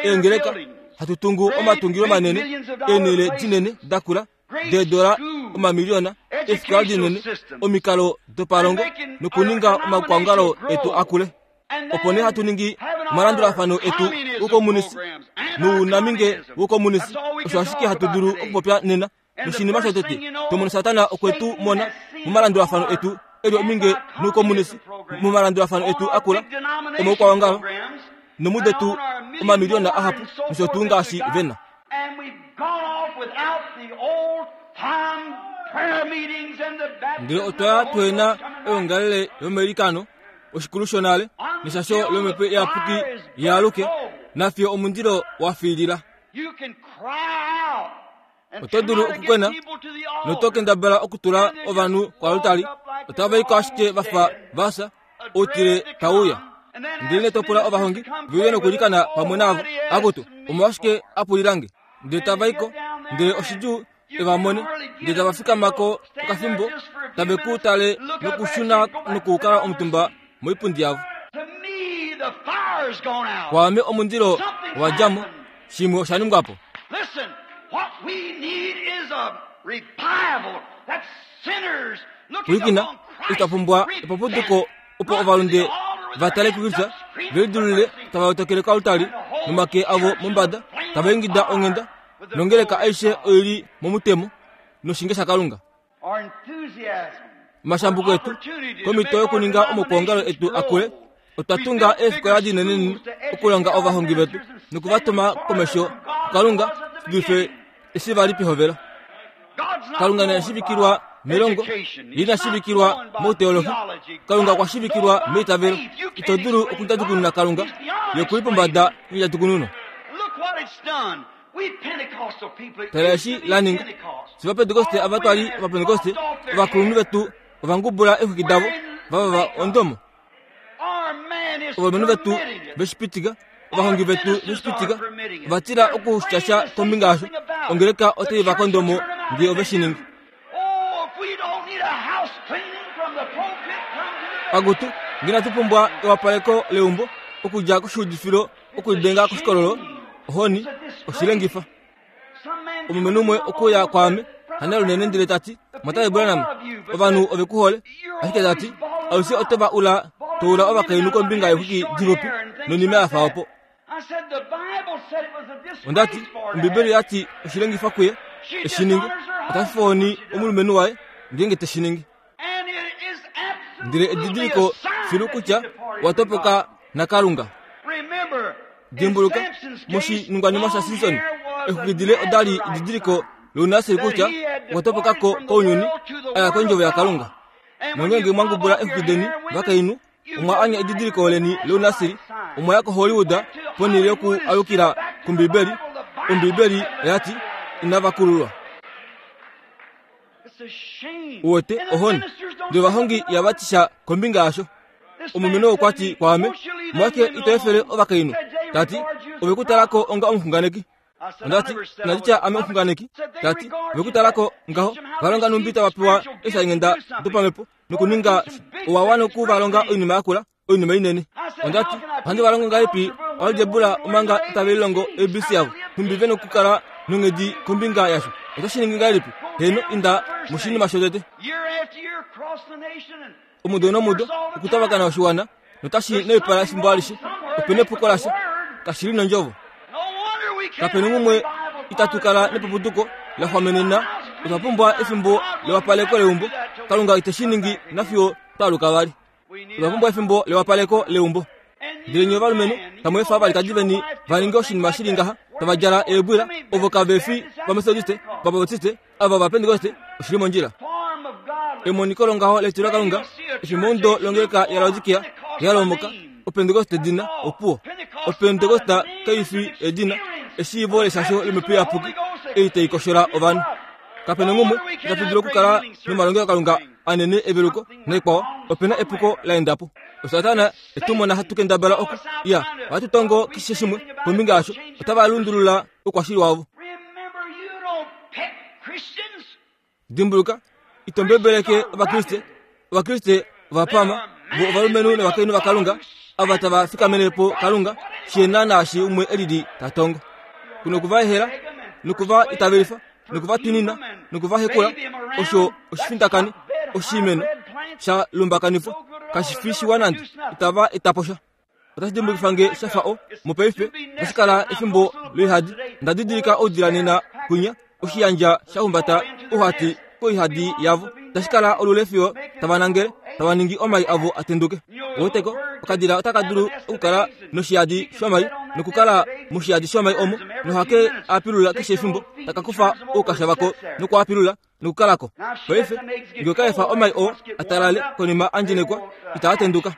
eengeleka, hatu tungu omatungilo manene, eenhele dinene da kula deedola omamiliyona, eefikola dinene, omikalo dopalongo nokuninga omakwaongalo etu a kule. Opo nee hatu ningi omalandulafano etu oukomunisi nounaminge woukomunisi. Osho ashike hatu dulu okupopya nena. Noshinima shotete, to mono Satana okwe tu mona momalandulafano etu e li ominge noukomunisi, momalandulafano etu a kula omaukwaongalo nomudetu omamiliyona ahapu nosho tuu ngaashi ve na. Ndele otwa ya tuhe na oyoongalele yomailikano, oshikulu shonale, neshasho lOmhepo Iyapuki yaaluke, nafiyo omundilo wa fiilila. Oto dulu okukwena noto kendabala okutula ovanhu koalutali, otava i ko ashike va fa va fya, outile tau uya. Ndele to pula ovahongi ve uye nokuilikana pamwe navo, akutu, omolwashike a pulila nge? Ndele tava i ko, ndele oshidjuu e va mone, ndele tava fikama ko okafimbo, tave ku tale nokushuna nokukala omutumba moipundi yavo. Kwaame omundilo wa dja mo, shimwe osha ningwa po. Pwilikina, itwa pumbwa epapuduko opo ovalunde va tale kuKristus, ve lidulule tava lotokele koaltari nomake avo mombada, tava ingida onghenda, nongeleka aishe oi li momutemo noshinge shaKalunga. Omashambuko etu komhito yokuninga omaukwaongalo etu a kule, otwa tunga eefikola dinenenene okulonga ovahongi vetu noku va tuma komesho kuKalunga shi dulife eshi va li pehovelo. Kalunga ina shivikilwa melongo, ye ina shivikilwa mouteolohi. Kalunga okwa shivikilwa meitavelo. Ito dulu okundjadjukununa Kalunga, ye oku li pombada yondjadjukununo. Tala eshi la ninga. Fye Ovapentekoste ava twa li Ovapentekoste, ovakulunhu vetu ova ngubula eexwiki davo, va vava ondomo. Ovalumenhu vetu ve shi pitika, ovahongi vetu ve shi pitika, ova tila okutya sha kombinga yasho. Ongeleka otai va kondo mo ngee ove shi ningi. Akutu, ngee inatu pumbwa ewapaleko leumbo okudja koshiudifilo okulidenga koshikololo, ohoni, oshilengifa. Omulumenhu umwe okwe uya kwaame, hane lunene ndele ta ti, Mwatate Branham, ovanhu ove ku hole, ashike ta ti, alushe oto va ula to ula ovakainhu kombinga yeexwiki dixupi nonima ya fa opo. Onda ti, Ombibeli oya ti oshilengifa kuye e shi ninge, ota fifa ohoni omulumenhu waye ngeenge te shi ningi. Ndele edidiliko filu kutya owa topoka naKalunga. Dimbuluka, moshiningwanima shaSimson, exwiki dile oda li edidiliko lounasiri kutya okwa topoka ko kounyuni, a ya kondjovo yaKalunga. Nongeenge mwa ngubula exwiki deni, vakainhu, omwa anya edidiliko leni lounasiri, omwa ya koHollywood ponhele yoku alukila kOmbibeli. Ombibeli oya ti, Inava kululwa. Uwete, ohoni. Ndele ovahongi ihava ti sha kombinga yasho. Omulumenhu okwa ti kwaame, Omolwashike ito efele ovakainhu? Ta ti, Ove ku tala ko onga omuxunganeki. Onda ti, Inandi tya ame omuxunganeki. Ta ti, Ove ku tala ko ngaho. Va longa nhumbi tava pewa eeshalinghenda dopamhepo nokuninga owa wana oku va longa oinima yakula. oinima inene. Onda ti, Ohandi va longo ngahelipi oaljebula omanga itave lilongo ABC yavo? Nhumbi ve nokukala nonghedi kombinga yasho? Oto shi ningi ngahelipi? Heeno, inda moshinima shotete. Omudo nomudo, okutavakana oshiwana, notashi naipala efimbo alishe. Ope nepuko lasha. Kashi li nondjovo. Kape nongumwe itatu kala nepupuduko la xwamenena. Otwa pumbwa efimbo lewapaleko leumbo. Kalunga ite shi ningi nafiyo twa aluka vali. Otwa pumbwa efimbo lewapaleko leumbo. Ndele nye ovalumenhu tamu efa ovalikadi veni va ninge oshinima shi li ngaha, tava djala eebwila, ovo kave fi vametodiste, vabaptiste, ava ovapentekoste, oshi li mondjila. Emoniko longaho letilokalunga, efimbomudo longeleka yaLaodikia ya lomoka, Opentekoste edina, opuwo. Opentekoste kai fi edina, eshiivo leshasho lOmhepo Iyapuki ei tai koshola ovanhu. Kape na ngumwe itatu dulu okukala nomalongelokalunga anene eveluko naikwao, ope na epuko la enda po. Osatana e tu mona hatu kendabala oku ya, ohatu tongo keshe shimwe kombinga yasho, otava lundulula oukwashili wavo. Dimbuluka, ito mbebeleke Ovakriste. Ovakriste ova pama, vo ovalumenhu novakainhu vaKalunga, ava tava fikamene po Kalunga, shi na naashi umwe e lili ta tongo. Ku noku va ehela, noku va itavelifa, noku va twinina, noku va hekula, osho oshifindakani, oshimeno sha lumbakanifwa, kashi fi shiwa nande, itava eta po sha. Otashi dimbukifa nge sha fa o, mopaife, otashi kala efimbo loihadi. Nda didilika oudila nena kwinya, oshiyandja sha humbata ouhati koihadi yavo. Tashi kala olule fiyo tava nangele, tava ningi omai avo a tenduke. Woteko, okadila otaka dulu okukala noshiyadi shomai nokukala moshiyadi shomai omo, nohake a pilula keshe efimbo, taka kufa oukasha vako noku a pilula nokukala ko. Paife, nge oka efa omai oo a talale konima a ndjenekwa, itaa tenduka.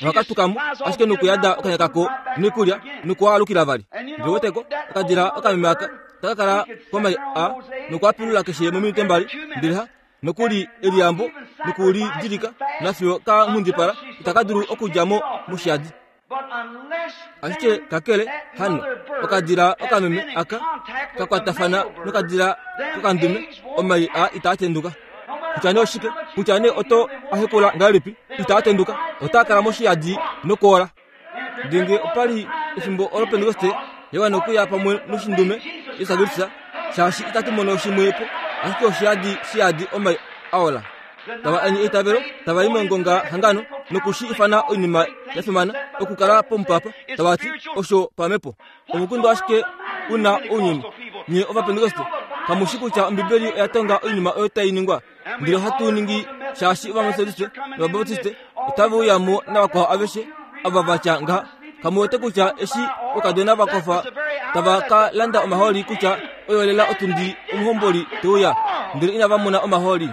Nohaka tuka mo ashike nokuyada okanya kako noikulya nokuwaalukila vali. Ndele weteko, okadila okameme aka taka kala komai a nokuapilula keshe mominute mbali, ndele ha nokuli eliyambo nokulidilika nafiyo ka nghundipala itaka dulu okudja mo moshiyadi. Ashike kakele hano, okadila okameme aka ka kwatafana nokadila kokandume, omai a itaa tenduka. Kutya nee oshike, kutya nee oto a hekula ngahelipi, itaa tenduka, otaa kala moshiyadi nokwoola. Ndele ngee opa li efimbo olo Pentekoste ya wana okuya pamwe noshindume Jesus Kristus, shaashi itatu mono shimwe po. Ashike oshiyadi shiyadi omai a ola. Tava anye eitavelo, tava i mongonga hangano noku shi ifana oinima ya fimana okukala pomupapa, tava ti osho pamhepo. Omukundu ashike u na ounyuni. Nye Ovapentekoste, kamu shi kutya Ombibeli oya tonga oinima oyo tai ningwa? Ndele ohatu ningi shaashi Ovametodiste nOvabaptiste otave uya mo navakwao aveshe ava va tya ngaha. Kamu wete kutya eshi oukadona va kofa tava ka landa omahooli kutya oyo lela otundi omuhomboli te uya, ndele inava mona omahooli.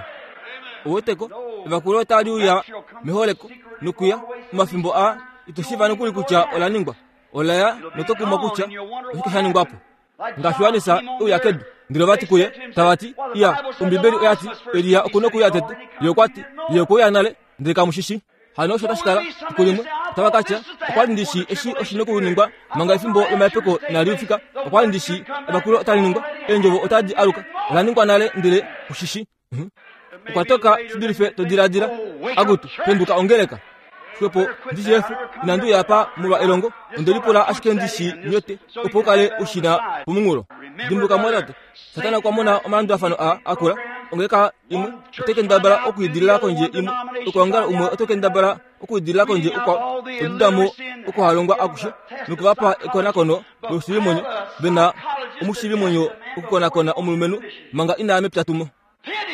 Ouweteko, evakulo otali uya meholeko nokuya omafimbo aa ito shiiva nokuli kutya ola ningwa. Ola ya noto kumwa kutya oshike sha ningwa po. Ngaashi Johannes e uya kedu, ndele ova ti kuye, tava ti, Iya, Ombibeli oya ti, Elia oku nokuuya tete. Ye okwa ti, Ye okwe uya nale, ndele kamu shi shii. Hano osho otashi kala, fiku limwe, otava ka tya, Okwa li ndi shii eshi oshi nokuningwa manga efimbo lomahepeko inali fika. Okwa li ndi shii evakulo otali ningwa, eendjovo otadi aluka. Ola ningwa nale, ndele ku shi shii. Mhm. Okwa toka shi dulife to diladila. Akutu, penduka ongeleka. Xwepo ndi shi efe, inandi uya apa molwa elongo, onde lipula ashike ndi shi nyote, opo u kale u shi na pomunghulo. Dimbuka mwatate, Satana okwa mona omalandulafano aa a kula, ongeleka imwe otai kendabala okwiidilila kondje imwe, okwoongala umwe oto kendabala okwiidilila kondje ukwao, oduda mo okuhalongwa akushe, noku va pa ekonakono loushivimwenyo, ve na omushivimwenyo okukonakona omulumenhu manga ina ya mepyatumo.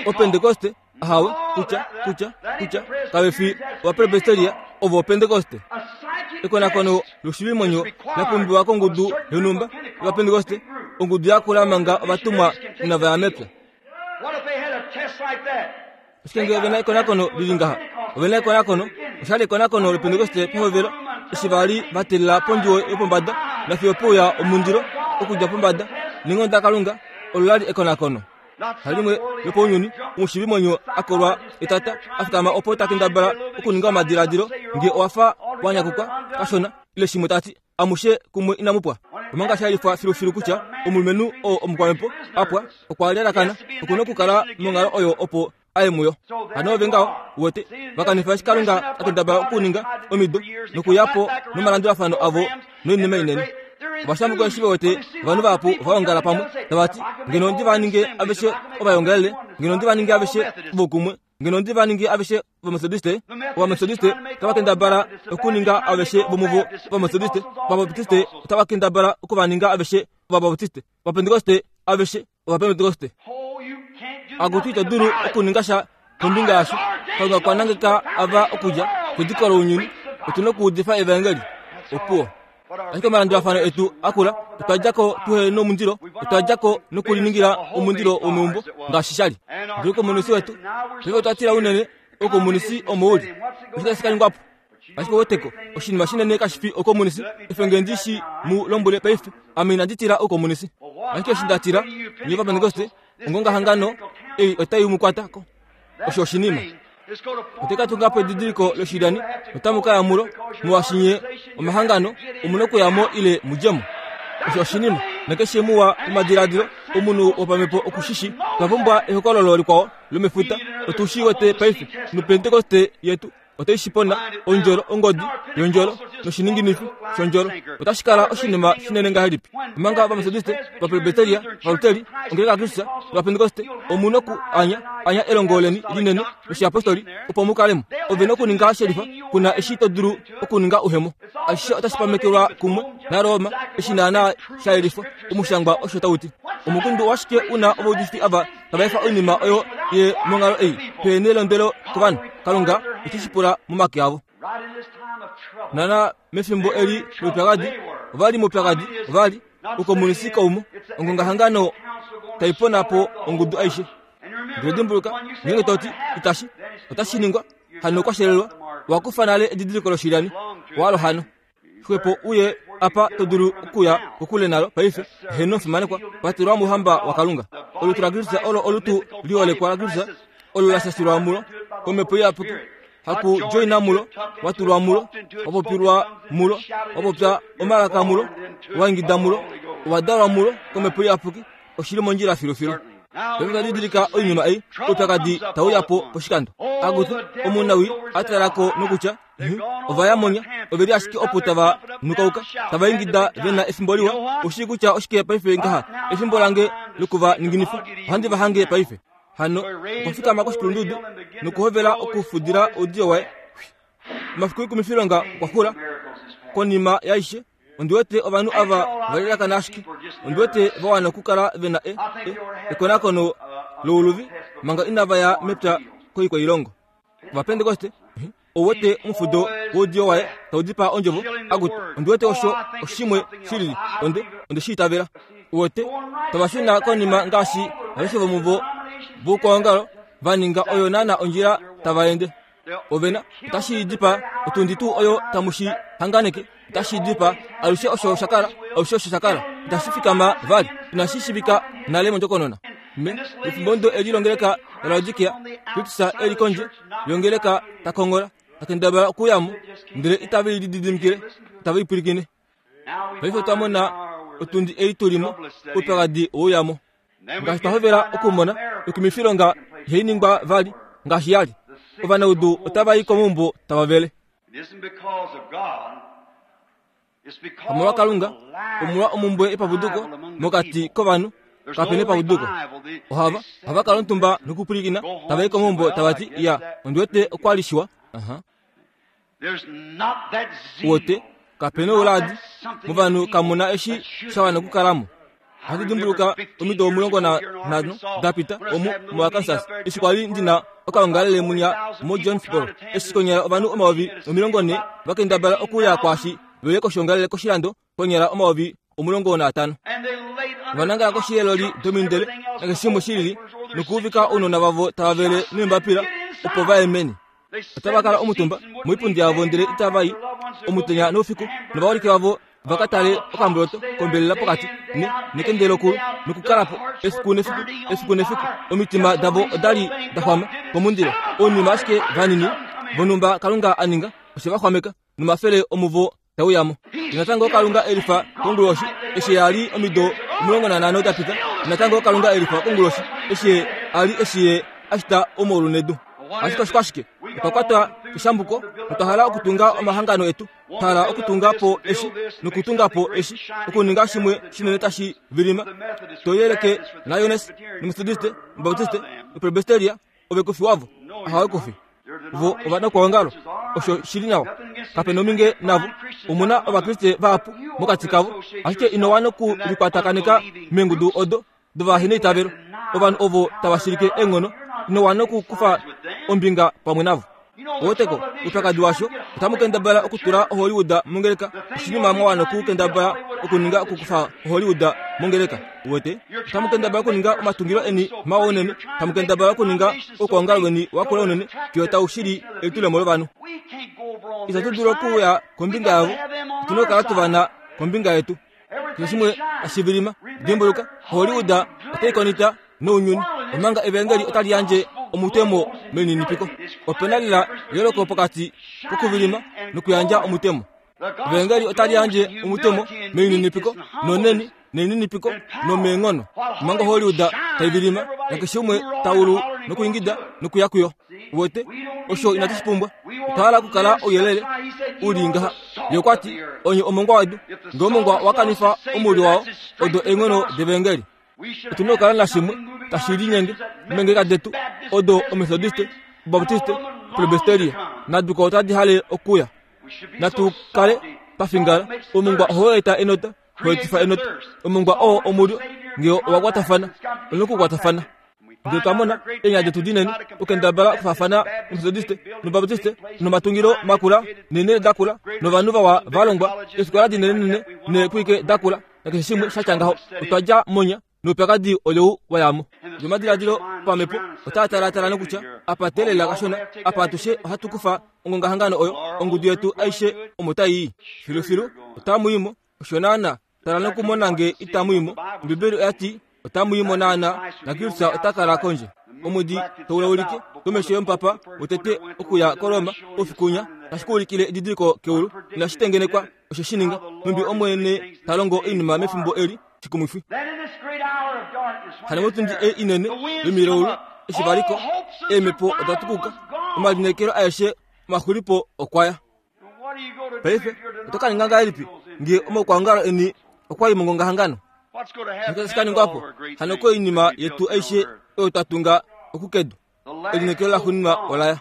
Opentekoste, ahawe, kutya, kutya, kutya, kave fi Ovapresbiteria, ovo Opentekoste. Ekonakono loushivimwenyo la pumbiwa kongudu yonhumba yOvapentekoste, ongudu ya kula manga ovatumwa inava ya mepya. Ashike ngee ove na ekonakono li li ngaha, ove na ekonakono, osha li ekonakono lOpentekoste pehovelo, eshi va li va teelela pondjuwo yopombada nafiyo peuya omundilo okudja pombada neenghono daKalunga, olo la li ekonakono. Halimwe lopounyuni, omushiivimwenyo a kolwa etata a fikama opo ta kendabala okuninga omadiladilo ngee owa fa wa nyakukwa kashona ile shimwe ta ti, Amushe kumwe inamu pwa. Omanga sha yelifwa filufilu kutya omulumenhu oo omukwamhepo a pwa okwa lalakana, oku na okukala monghalo oyo opo a ye muyo. Hano ove ngaho, uwete, va kanifa eshi Kalunga a kendabala okuninga omido nokuya po nomalandulafano avo noinima inene. Ovashambuko eshi ve wete ovanhu vahapu va ongala pamwe, tava ti, Ngeno ndi va ninge aveshe ovaongelele, ngeno ndi va ninge aveshe vokumwe, ngeno ndi va ningi aveshe Ovametodiste, Ovametodiste otava kendabala okuninga aveshe vomuvo Ovametodiste, Ovabaptiste otava kendabala oku va ninga aveshe Ovabaptiste, Ovapentekoste aveshe Ovapentekoste. Akutu ito dulu okuninga sha kombinga yasho. Kalunga okwa nangeka ava okudja kediko lounyuni. Otu na okuudifa evaengeli. Opuwo. Ashike omalandulafano etu a kula, otwa dja ko tuhe nomundilo, otwa dja ko nokuliningila omundilo womeumbo ngaashi sha li. Ndele oukomunisi wetu, paife otwa tila unene oukomunisi omo u li. Oshike tashi ka ningwa po? Ashike weteko, oshinima shinene kashi fi oukomunisi, efe nge ndi shi mu lombwele paife, ame inandi tila oukomunisi. Ashike eshi nda tila, nye Ovapentekoste, ongongahangano ei otai mu kwata ko. Osho oshinima. Ote ka tunga po edidiliko loshilyani notamu ka ya mulo, molwaashi nye omahangano omu na okuya mo ile mu dje mo. Osho oshinima, nakeshe muwa momadiladilo omunhu wopamhepo oku shi shi. Otwa pumbwa ehokololo likwao lomefuta. Otu shi wete paife, noPentekoste yetu. Otai shi pona, ondjolo, ongodi yondjolo noshininginifi shondjolo. Otashi kala oshinima shinene ngahelipi omanga Ovametodiste, Ovapresbiteria, Ovaluteri, Ongeleka yaKristus nOvapentekoste omu noku anya anya elongo leni linene loshiapostoli opo mu kale mo. Ove nokuninga shelifa ku na eshi to dulu okuninga uhemo. Ashishe otashi pamekelwa kumwe naRoma eshi naanaa sha yelifwa. Omushangwa osho tau ti. Omukundu owashike u na ovaudifi ava tava efa oinima oyo ye monghalo ei pe nelondwelo kovanhu? Kalunga ote shi pula momake avo. Naanaa mefimbo eli loupyakadi, ova li moupyakadi, ova li oukomunisi kaumo, ongongahangano tai pona po ongudu aishe. Ndele dimbuluka, ngeenge to ti itashi, otashi ningwa, hano kwa shelelwa, wa kufa nale edidiliko loshilyani, walo hano. Xwepo uye apa to dulu okuya kokule nalo paife, heeno fimanekwa, patelwa mouhamba waKalunga. Olutu laKristus olo olutu liholekwa laKristus, olo la shashilwa mulo kOmhepo Iyapuki, haku djoina mulo, wa tulwa mulo, wa popilwa mulo, wa popya omalaka mulo, wa ingida mulo, wa dalwa mulo kOmhepo Iyapuki, oshi li mondjila filufilu. Paife otwa didilika oinima ei, oupyakadi tau uya po poshikando. Akutu, omunawii a tala ko nokutya, Ova ya monya, ove li ashike opo tava nukauka, tava ingida ve na efimbo liwa. Ou shii kutya oshike paife ngaha? Efimbo lange loku va ninginifa. Ohandi va hange paife. Hano okwa fikama koshikulundudu nokuhovela okufudila oudiyo waye. Omafiku oikumifilonga okwa xula. Konima yaishe, ondi wete ovanhu ava va lelakana ashike. Ondi wete va wana okukala ve na e, e, ekonakono louluvi manga inava ya mepya koikwailongo. Ovapentekoste, ou wete omufudo woudiyo waye tau dipaa ondjovo, akutu, ondi wete osho oshimwe shilili, onde, onde shi itavela. Uwete, tava shuna konima ngaashi aveshe vomuvo voukwaongalo va ninga oyo naana ondjila tava ende. Ovena, otashi dipaa otundi tuu oyo tamu shi hanganeke, otashi dipaa alushe osho sha kala, alushe osho sha kala, itashi fikama vali, inashi shivika nale mondjokonona. Me, mefimbo ndo eli longeleka yaLaodikia, Kristus e li kondje yongeleka ta kongola, ta kendabala okuya mo, ndele itave i lididimikile, itave i pwilikine. Paife otwa mona otundi ei tu li mo, oupyakadi wouya mo. Ngaashi twa hovela okumona, oikumifilonga ihai ningwa vali ngaashi ya li. Ovanaudu otava i komaumbo tava vele. Omolwa Kalunga, omolwa omumbwe yepapuduko mokati kovanhu, kape nepapuduko. Ohava, ohava kala omutumba nokupwilikina, tava i komaumbo tava ti, Ya, ondi wete okwa li shiwa. Uh-huh. Wote, kape nouladi, movanhu kamu na eshi sha wana okukala mo. Ohandi dimbuluka omido 15 da pita omu moArkansas eshi kwa li ndi na okaongalele munya moJonesboro eshi konyala ovanhu 40,000 va kendabala okuya kwaashi ve uye koshiongalele koshilando konyala 15,000. Ova nangala koshi yeeloli domindele nakeshe shimwe shi lili nokuuvika ounona vavo tava vele neembapila opo va ye meni. Otava kala omutumba moipundi yavo ndele itava i omutenya noufiku novaholike vavo va ka tale okamboloto kombelela pokati ne nekende lokulu nokukala po efiku nefiku efiku nefiku. Omitima davo oda li da xwama komundilo. Ounima ashike vanini vonhumba Kalunga a ninga oshe va xwameka nomafele omuvo tau ya mo. Natango Kalunga e lifa konguloshi eshi a li omido 15 da pita. Natango Kalunga e lifa konguloshi eshi a li eshi ye a shita omaulu nedu. Ashike oshikwashike? Otwa kwatwa keshambuko notwa hala okutunga omahangano etu, twa hala okutunga po eshi nokutunga po eshi, okuninga shimwe shinene tashi vilima. To yeleke naLioness, noMethodiste, nObaptiste, noPresbyteria, ove kufi wavo? Ahawe kufi. Vo ovanakwaongalo, osho shi li nawa. Kape nominge navo. Omu na Ovakriste vahapu mokati kavo, ashike ino wana oku likwatakaneka meengudu odo dovaheneitavelo, ovanhu ovo tava shilike eenghono. Ino wana okukufa ombinga pamwe navo. Oweteko, oupyakadi washo, otamu kendabala okutula oHollywood mongeleka, oshinima mwa wana okukendabala okuninga okukufa oHollywood mongeleka. Uwete? Otamu kendabala okuninga omatungilo eni mawa unene, tamu kendabala okuninga oukwaongalo weni wa kula unene, fiyo tau shili elitulemo lovanhu. Itatu dulu okuya kombinga yavo, otu na okukala tu va na kombinga yetu. Keshe shimwe tashi vilima. Dimbuluka, Hollywood otai konita nounyuni, omanga Evangeli otali yandje omutemo melininipiko. Ope na lela eyooloko pokati kokuvilima nokuyandja omutemo. Evangeli otali yandje omutemo melininipiko noneni nelininipiko nomeenghono, omanga Hollywood tai vilima nakeshe umwe ta ulu nokuingida nokuya kuyo. Uwete, osho inatu shi pumbwa. Otwa hala okukala ouyelele u li ngaha. Ye okwa ti, Onye omongwa wedu. Ngee omongwa wa kanifa omulyo wao, odo eenghono devangeli. Otu na okukala nashimwe tashi linyenge meengeleka detu, odo Omethodiste, Obaptiste, Presbyteria naduko otadi hale okuya. Natu kale twa fingala. Omongwa ohau eta enota, hau etifa enota. Omongwa oo omulyo ngee owa kwatafana, ou na okukwatafana. Ndele twa mona eenyala detu dinene okukendabala okufaafana nOmethodiste nObaptiste nomatungilo makula neenhele dakula novanhu vawa va longwa, eefikola dinenenene neekwike dakula nakeshe shimwe sha tya ngaho. Otwa dja monya noupyakadi oleu wa ya mo. Omadiladilo opamhepo otaa talaatala nokutya, Apa teelela kashona, apa atushe ohatu kufa ongongahangano oyo, ongudu yetu aishe omo tai i. Filufilu, otamu i mo. Osho naana. Tala nokumona nge itamu i mo. Ombibeli oya ti, Otamu i mo naana, naKristus ota kala kondje. Omwedi tau laulike komesho yomupapa wotete okuya koRoma oufiku winya, tashi ku ulikile edidiliko keulu. Inashi tengenekwa osho shi ninga, nhumbi Omwene ta longo oinima mefimbo eli shikumwifi. Hano motundi ei inene yomilaulu eshi va li ko, eemhepo oda tukuka, omalineekelo aeshe omaxulipo okwa ya. Paife oto ka ninga ngahelipi ngee omaukwaongalo eni okwa i mongongahangano? Oshike tashi ka ningwa po hano koinima yetu aishe oyo twa tunga okukedu? Elineekelo laxuuninwa ola ya.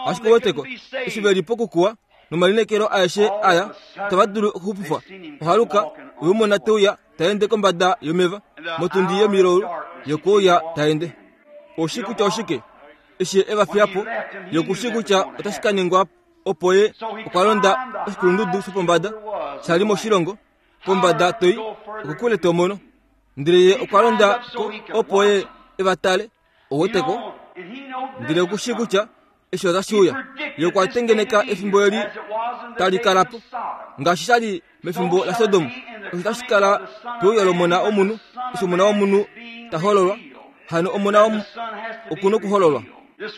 Ashike ouweteko, eshi ve li pokukuwa nomalineekelo aeshe aya, itava dulu okuxupifwa. Ohaluka, we mu mona te uya ta ende kombada yomeva, motundi yomilaulu, ye okwe uya ta ende. Ou shii kutya oshike? Eshi ye e va fiya po, ye oku shii kutya otashi ka ningwa opo ye okwa londa oshikulundudu shopombada sha li moshilongo pombada toi okokule to mono ndele ye okwa londa ko opo ye e va tale oweteko ndele oku shii kutya eshi otashi uya ye okwa tengeneka efimbo eli tali kala po ngaashi sha li mefimbo laSodom osho tashi kala peuya lomona womunhu eshi omona womunhu ta hololwa hano omona oku nokuhololwa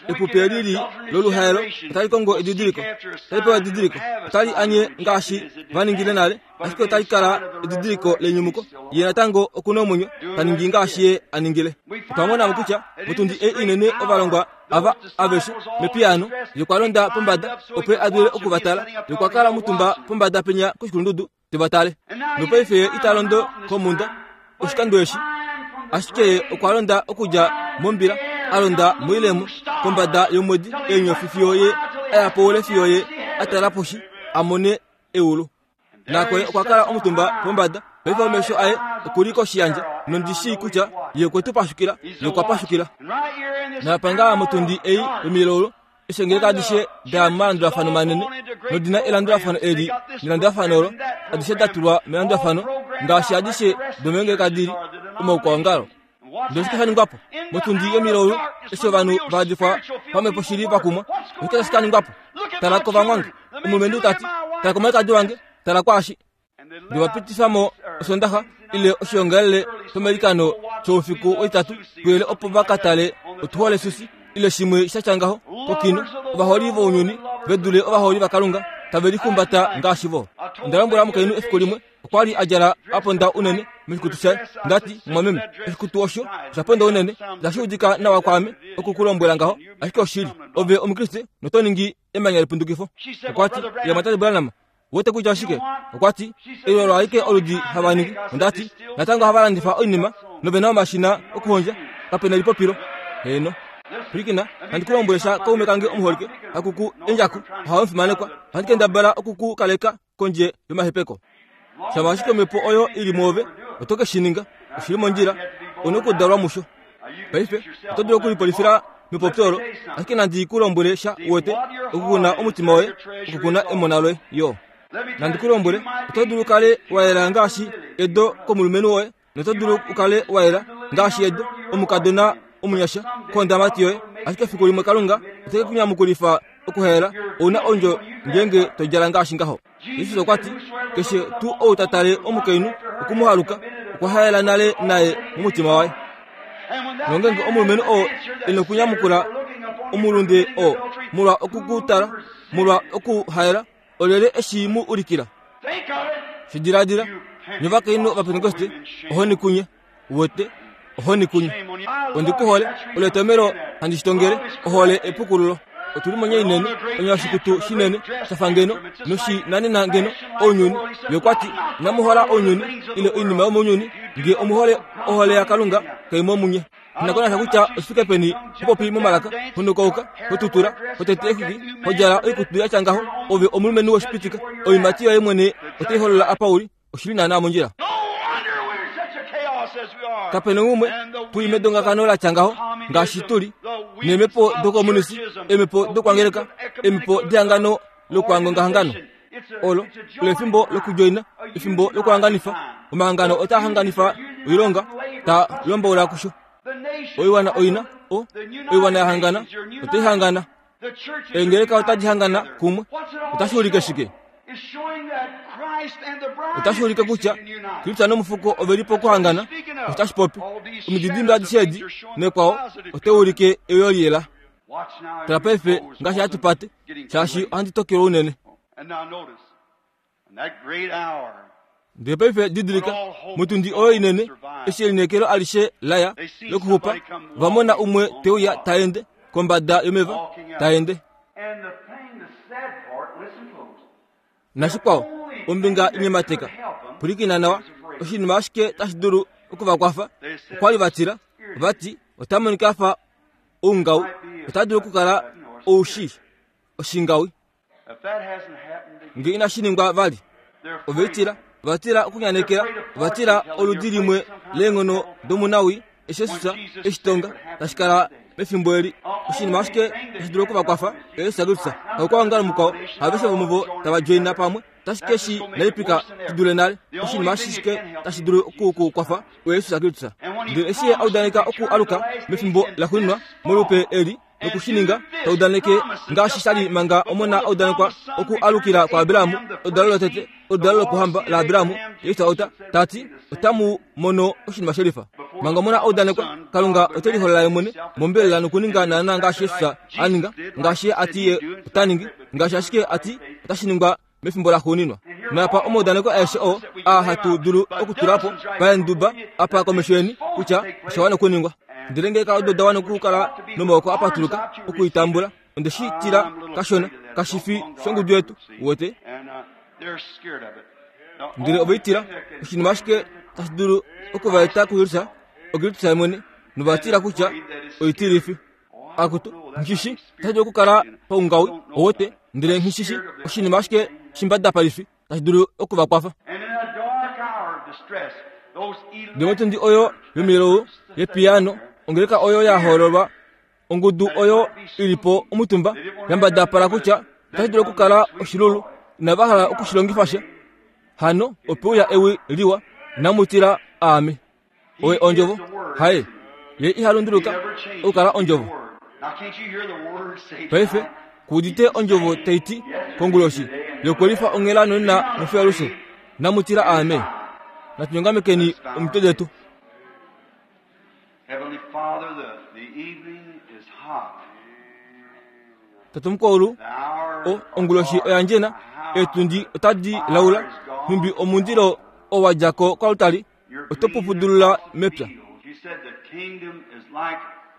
Epupi eli li loluhaelo otali kongo edidiliko, otali pewa edidiliko, otali anye ngaashi va ningile nale, ashike otali kala edidiliko lenyumuko. Ye natango oku na omwenyo, ta ningi ngaashi ye a ningile. Otwa mona mo kutya motundi ei inene ovalongwa ava aveshe mepiyaano, ye okwa londa pombada opo a dule oku va tala. Ye okwa kala omutumba pombada penya koshikulundudu te va tale. Nopaife ye ita londo komhunda oshikando eshi, ashike ye okwa londa okudja mombila, a londa moilemo kombada yomwedi eenyofi fiyo ye a ya poule fiyo ye a tala poshi a mone eulu. Nako ye okwa kala omutumba pombada. Paife omesho aye oku li koshiyandje, nondi shii kutya ye okwe tu pashukila, ye okwa pashukila. Napa ngaa motundi ei yomilaulu Eshi eengeleka adishe da ya momalandulafano manene nodi na elandulafano eli nelandulafano olo, adishe da tulwa melandulafano ngaashi adishe domeengeleka di li omaukwaongalo. Ndele oshike sha ningwa po? Motundi yomilaulu, eshi ovanhu va yadifwa pamhepo shili va kumwa, oshike tashi ka ningwa po? Tala kovamwange, omulumenhu ta ti, tala komwalikadi wange, tala kwaashi. Ndele va pitifa mo Osondaxa ile oshiongalele shomailikano shoufiku wetitatu kuyele opo va ka tale otuhole susi ile shimwe sha tya ngaho kokino. Ovaholi vounyuni ve dule ovaholi vaKalunga tave lihumbata ngaashi vo. Onda lombwela omukainhu efiku limwe okwa li a djala a ponda unene moshikutu shaye. Nda ti, Mumwameme, oshikutu osho osha ponda unene, itashi udika nawa kwaame oku ku lombwela ngaho, ashike oshili. Ove Omukriste noto ningi emanya lepundukifo. Okwa ti, Ye Mwatate Branham, Wete kutya oshike? Okwa ti, Eli olo alike oludi hava ningi. Onda ti, Natango ohava landifa oinima nove na omashina okuhondja. Kape na elipopilo. Heeno. Pwilikina, handi ku lombwele sha kaume kange omuholike, haku ku endjaku, ohawe omufimanekwa. Ohandi kendabala oku ku kaleka kondje yomahepeko. Shama ashike omhepo oyo i li mwoove, oto ke shi ninga. Oshi li mondjila. Ou na okudalwa musho. Paife, oto dulu okulipolifila mepopyo olo, ashike nandi ku lombwele sha, uwete, okukuna omutima woye, okukuna emona loye, yo. Nandi ku lombwele, oto dulu kale wa yela ngaashi edo komulumenhu woye, noto dulu u kale wa yela ngaashi edo omukadona omunyasha kondamati yoye, ashike efiku limwe Kalunga ote ke ku nyamukulifa okuhela, ou na ondjo ngeenge to djala ngaashi ngaho. Jesus okwa ti, Keshe tuu ou ta tale omukainhu oku mu haluka, okwa haela nale naye momutima waye. Nongeenge omulumenhu oo e nokunyamukula omulunde oo molwa oku ku tala, molwa okuhaela, olyelye e shi mu ulikila? Shi diladila, nye ovakainhu Ovapentekoste, ohoni kunye! Uwete, ohoni kunye. Ondi ku hole, olo etomelo handi shi tongele, ohole epukululo. Otu li monya inene, onya yoshikutu shinene, sha fa ngeno, noshi nanena ngeno ounyuni. Ye okwa ti, Inamu hola ounyuni, ile oinima yomounyuni, nge omu hole ohole yaKalunga, kai mo munye. Shinakonasha kutya oshi fike peni ho popi momalaka, ho nukauka, ho tutula, ho tete exwiki, ho djala oikutu ya tya ngaho, ove omulumenhu woshipitika, oiimati yoye mwene otai holola apa u li. Oshi li naanaa mondjila. Kape na umwe tu li medongakano la tya ngaho ngaashi tu li neemhepo dokomunisi, eemhepo dokwangeleka, eemhepo dehangano lokuhangongahangano. Olo olo efimbo lokudjoina, efimbo lokuhanganifa. Omahangano otaa hanganifa oilonga, taa lombaula kusho. Oiwana oina o oiwana ya hangana otai hangana. Eengeleka otadi hangana kumwe. Otashi ulike shike? Otashi ulike kutya Kristus nomufuko ove li pokuhangana. Otashi popi omididimbe adishe edi nekwao otai ulike euyo liyela. Tala paife ngaashi hatu pate, shaashi ohandi tokelwa unene. Ndele paife didilika, motundi oyo inene, eshi elineekelo alishe la ya lokuxupa, va mona umwe te uya ta ende kombada yomeva, ta ende. Nashikwao, Ombinga inyemateka. Pwilikina nawa, oshinima ashike tashi dulu oku va kwafa, okwa li va tila, va ti, Ota monika a fa oungau, ota dulu okukala oushi, oshingawi. Nge inashi ningwa vali, ove tila, ova tila okunyanekela, ova tila oludi limwe leenghono domunawii, eshi Jesus eshi tonga tashi kala mefimbo eli. Oshinima ashike tashi dulu oku va kwafa, Jesus Kristus. Haukwaongalo mukwao, haveshe vomuvo tava djoina pamwe, otashi ke shi naipika shi dule nale. Oshinima ashike tashi dulu oku ku kwafa oJesus Kristus. Ndele eshi Ye a udaneka oku aluka mefimbo laxuuninwa molupe eli, noku shi ninga, ta udaneke ngaashi sha li manga omona a udanekwa oku alukila kwaAbraham, oludalo lotete, oludalo lokuhamba laAbraham, Jesus ota, ta ti, Otamu mono oshinima shelifa. Manga omona a udanekwa, Kalunga ote liholola ye mwene mombelela nokuninga naanaa ngaashi Jesus a ninga, ngaashi Ye a ti Ye ota ningi, ngaashi ashike a ti otashi ningwa mefimbo laxuuninwa. Naapa omaudaneko aeshe oo aa hatu dulu okutula po paenduba apa komesho yeni kutya osha wana okuningwa. Ndele ngee odo da wana okukala nomaoko a patuluka oku i tambula, onde shi tila kashona, kashi fi shongudu yetu, uwete. Ndele ove i tila, oshinima ashike tashi dulu oku va eta kuJerusalem, oKristus mwene, nova tila kutya oitilifi. Akutu, nghi tashi dulu okukala paungawi, owete, ndele nghi shi oshinima ashike shimbada paife tashi dulu oku va kwafa. Ndele motundi oyo yomilou yepiyaano, ongeleka oyo ya hoololwa, ongudu oyo i li po omutumba ya mbadapala kutya otashi dulu okukala oshilulu, inava hala oku shi longifa sha. Hano ope uya ewi liwa, Inamu tila aame. Oye Ondjovo. Haye. Ye iha lunduluka okukala Ondjovo. Paife, ku udite Ondjovo tai ti, konguloshi, yokwelifa onghela nonena nofiyalushe, Inamu tila aame. Natu nyongamekeni omitwe detu. Tate Omukwaulu, o, onguloshi oya ndjena, eetundi otadi laula, nhumbi omundilo oo wa dja ko koaltari oto pupudulula mepya.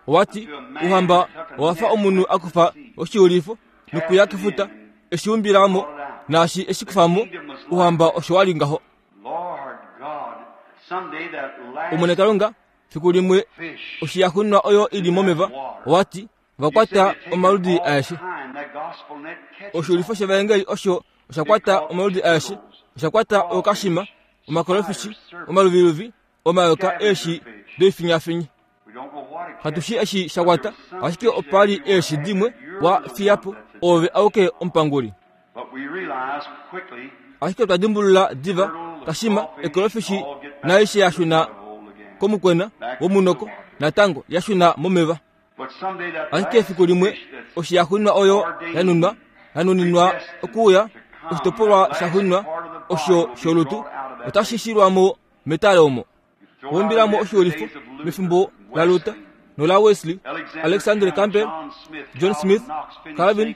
Owa ti, Ouhamba owa fa omunhu a kufa oshiulifo nokuya kefuta, e shi umbila mo, naashi e shi kufa mo, Ouhamba osho wa li ngaho. Omwene Kalunga, fiku limwe oshiyaxunwa oyo i li momeva, owa ti, va kwata omaludi aeshe. Oshiulifo shevaengeli osho osha kwata omaludi aeshe, osha kwata ookashima, omakolofishi, omaluviluvi, omayoka eeshi doifinyafinyi. Katu shi eshi sha kwata, ashike opa li eeshi dimwe wa fiya po, oove auke omupanguli. Ashike otwa dimbulula diva kashima ekolofishi naaishe ya shuna komukwena womunoko natango ya shuna momeva. Ashike efiku limwe oshi ya xunwa oyo ya nunwa, ya nuninwa okuuya, oshitopolwa sha xunwa osho sholutu otashi shilwa mo metale omo. Wumbila mo oshiulifo mefimbo laLuther nolaWesley, Alexander Campbell, John Smith, Calvin,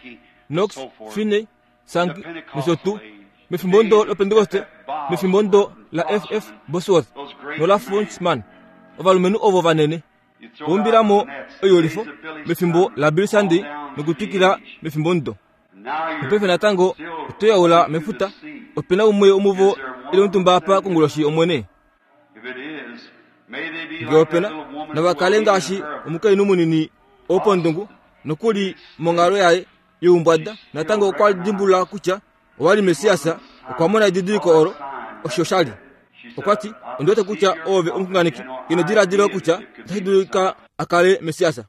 Knox, Finney, Sankey nosho tuu. Mefimbo ndo lOpentekoste, mefimbo ndo la F.F. Bosworth nola Frenchman, ovalumenhu ovo vanene. Wumbila mo oiulifo mefimbo laBill Sunday nokutwikila mefimbo ndo. Nopaife natango oto yaula mefuta. Ope na umwe womuvo e li omutumba apa konguloshi, Omwene? Nge ope na, nava kale ngaashi omukainhu munini wopondungu, nokuli monghalo yaye youmbwada, natango okwa dimbulula kutya owa li Messias, okwa mona edidiliko olo, osho sha li. Okwa ti, Ondi wete kutya oove omuxunganeki. Ino diladila kutya otashi dulika a kale Messias.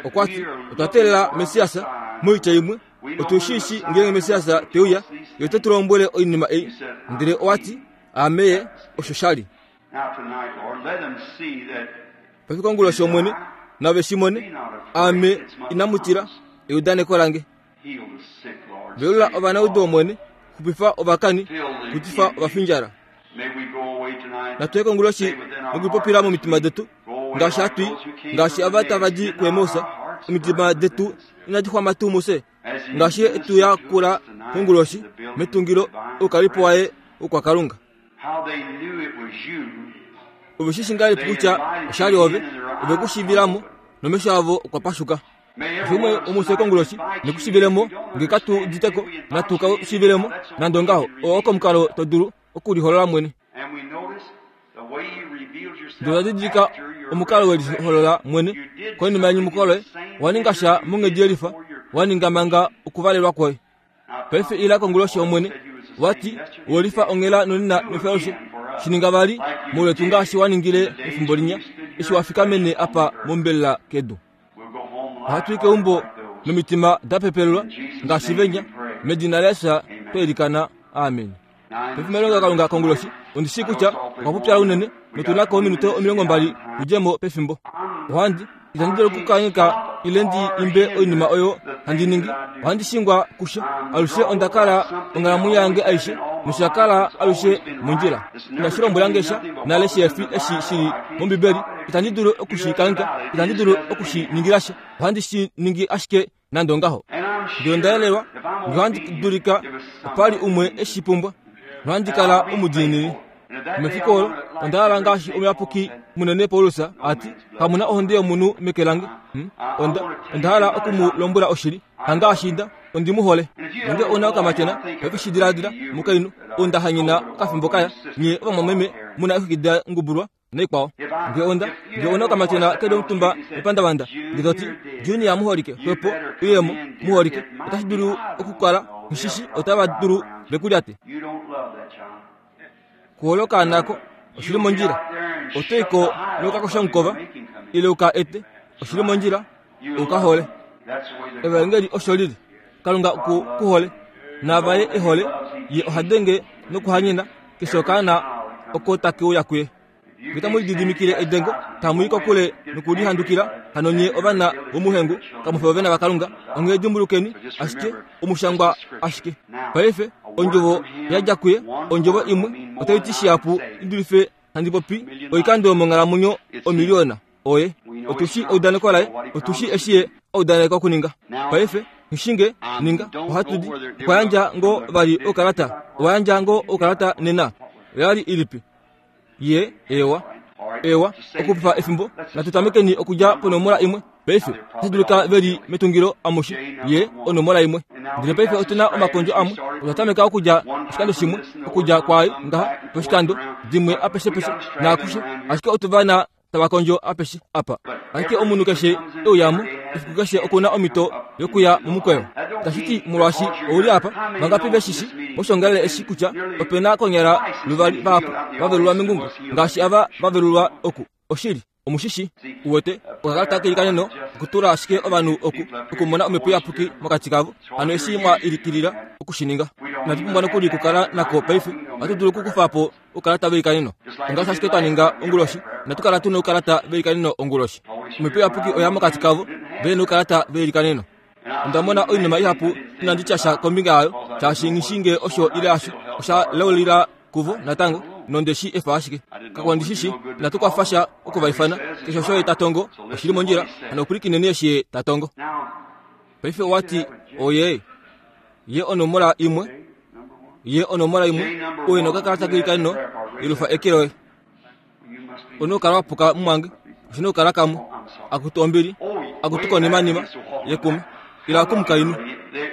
Okwa ti, Otwa teelela Messias, moitya imwe, otu shi shii ngeenge Messias te uya, ye ote tu lombwele oinima ei. Ndele owa ti, Aame ye, osho sha li. Paife konguloshi Omwene, nave shi mone, Aame inamu tila, eudaneko lange. Velula ovanaudu Omwene, xupifa ovakani, kutifa ovafindjala. Natu ye konguloshi nokulipopila momitima detu, ngaashi hatu i, ngaashi ava tava di kuEmaus, omitima detu inadi xwama tuu mufye, ngaashi ye e tu yakula konguloshi metungilo oukalipo waye wokwaKalunga. Ove shi shi ngahelipi kutya osha li ove? Ove ku shiivila mo, nomesho avo okwa pashuka. Keshe umwe womufye konguloshi neku shivile mo, nge katu udite ko, natu ka shivile mo, nande ongaho. Oo oko omukalo to dulu okuliholola mwene. Ndele otwa didilika omukalo we liholola mwene konima yenyumuko loye, wa ninga sha monghedi yelifa, wa ninga manga okuvalelwa kwoye. Paife ila konguloshi Omwene, wa ti, we lifa onghela nonena nofyalushe. Shi ninga vali mouletu ngaashi wa ningile mefimbo linya, eshi wa fikamene apa mombelela kedu. Ohatu i keumbo nomitima da pepelelwa ngaashi venya, medina laJesus twa ilikana. Amen. Paife melongelokalunga konguloshi, ondi shii kutya okwa popyala unene, notu na ko ominute 20 tu dje mo pefimbo. Ohandi, itandi dulu okukangheka ile ndi imbe oinima oyo handi ningi. Ohandi shingwa kusha. Alushe onda kala onghalamwenyo yange aishe, nosha kala alushe mondjila. Inashi lombwela nge sha nale shihe fi eshi shi li mOmbibeli. Itandi dulu oku shi kangheka, itandi dulu oku shi ningila sha. Ohandi shi ningi ashike nande ongaho. Ngee onda yelelwa, nohandi dulika, opa li umwe e shi pumbwa, nohandi kala omudiinini. Mefiku olo, onda hala ngaashi omuyapuki munene Paulus a ti, Kamu na ohonde yomunhu meke lange. Hmm? Onda, onda hala oku mu lombwela oshili, hangaashi nda, ondi mu hole. Nonge ou na okamatyona, paife shi diladila, mukainhu, ou nda hanyena okafimbo kaya, nye ovamwameme mu na eexwiki da ngubulwa, naikwao. Nge onda, nge una okamatyona ke li omutumba mepandavanda, nge to ti, Junior muholike, xwepo, uye mo, muholike, otashi dulu okukala, nghishishi, otava dulu ve ku lyate. Ku hole okaana ako, oshi li mondjila. Oto i ko nokakoshamukova, ile u ka ete, oshi li mondjila, u ka hole. Evaengeli osho li li. Kalunga oku ku hole, naava ye e hole, ye oha denge nokuhanyena keshe okaana oko take uya kuye. Nge tamu lididimikile edengo, tamu i kokule nokulihandukila, hano nye ovana vomuhengu, kamu fi ovana vaKalunga. Onghee dimbulukeni ashike omushangwa ashike. Paife, ondjovo ya dja kuye, ondjovo imwe, otai ti shihapu i dulife handi popi oikando yomonghalamwenyo omiliyona. Oye. Otu shii eudaneko laye. Otu shii eshi ye a udaneka okuninga. Paife, nghishinge, ninga, ohatu di. Okwa yandja ngoo vali oukalata? Owa yandja ngoo oukalata nena? Oya li ilipi? Ye, ewa. Ewa, okupifa efimbo, natu tamekeni okudja ponomola imwe. Paife, otashi dulika ve li metungilo amushe. Ye, onomola imwe. Ndele paife otu na omakondjo amwe. Otwa tameka okudja oshikando shimwe, okudja kwaai ngaha, poshikando, dimwe apeshepeshe, naakushe. Ashike otu va na tava kondjo apeshe apa. Ashike omunhu keshe e uya mo, efiku keshe oku na omhito yokuya momukweyo. Tashi ti molwaashi ou li apa, vangapi ve shi shi moshiongalele eshi kutya ope na konyala luvali vahapu va velulwa mengungo ngaashi ava va velulwa oku? Oshili, omu shi shi. Uwete, okakalata keilikaneno okutula ashike ovanhu oku, okumona Omhepo Iyapuki mokati kavo, hano eshi mwa ilikilila oku shi ninga. Inatu pumbwa nokuli okukala nako paife, ohatu dulu okukufa po oukalata veilikaneno. Ongaashi ashike twa ninga onguloshi, inatu kala tu noukalata veilikaneno onguloshi. Omhepo Iyapuki oya mokati kavo, ve noukalata veilikaneno. Onda mona oinima ihapu inandi tya sha kombinga yayo, shaashi nghi shii ngee osho ile hasho. Osha laulila kuvo natango, nonde shi efa ashike. Kakwa ndi shi shi, inatu kwafa sha oku va ifana. Keshe osho ye ta tongo, oshi li mondjila, hano pwilikineni eshi ye ta tongo. Paife owa ti, Oye, ye onomola imwe. Ye onomola imwe. Oye nokakalata keilikaneno, yelufa eke loye. One okukala wa puka mumwange, oshi na okukala kamwe. Akutu ombili, akutu konimanima yekuma, ila kumukainhu.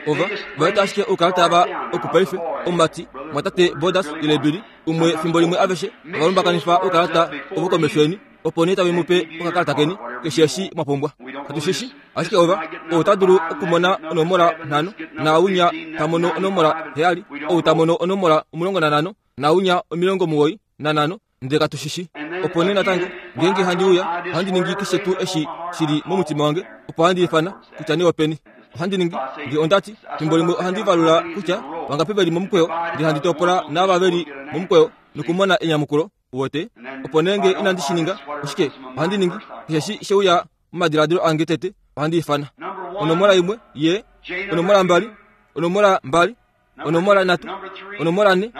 Ova, va eta ashike oukalata ava oku paife, omumati, mwatate Borders ile Billy, umwe fimbo limwe aveshe ova lumbakanifa oukalata ovo komesho yeni. opo nee tave mu pe okakalata keni keshe eshi mwa pumbwa. Katu shi shi, ashike ova, ou ta dulu okumona onomola nhano, naaunya ta mono onomola heyali, ou ta mono onomola 15, naaunya 95, ndele katu shi shi. Opo nee natango, ngeenge handi uya, ohandi ningi keshe tuu eshi shi li momutima wange, opo handi ifana, kutya nee openi. Ohandi ningi, nge onda ti, fimbo limwe ohandi valula kutya vangapi ve li momukweyo, ndele handi topola naava ve li momukweyo nokumona enyamukulo. Uwete? Opo nee nge inandi shi ninga, oshike ohandi ningi? Keshe eshi she uya momadiladilo ange tete, ohandi ifana. Onomola imwe, ye. Onomola mbali, onomola mbali, onomola nhatu, onomola nhe,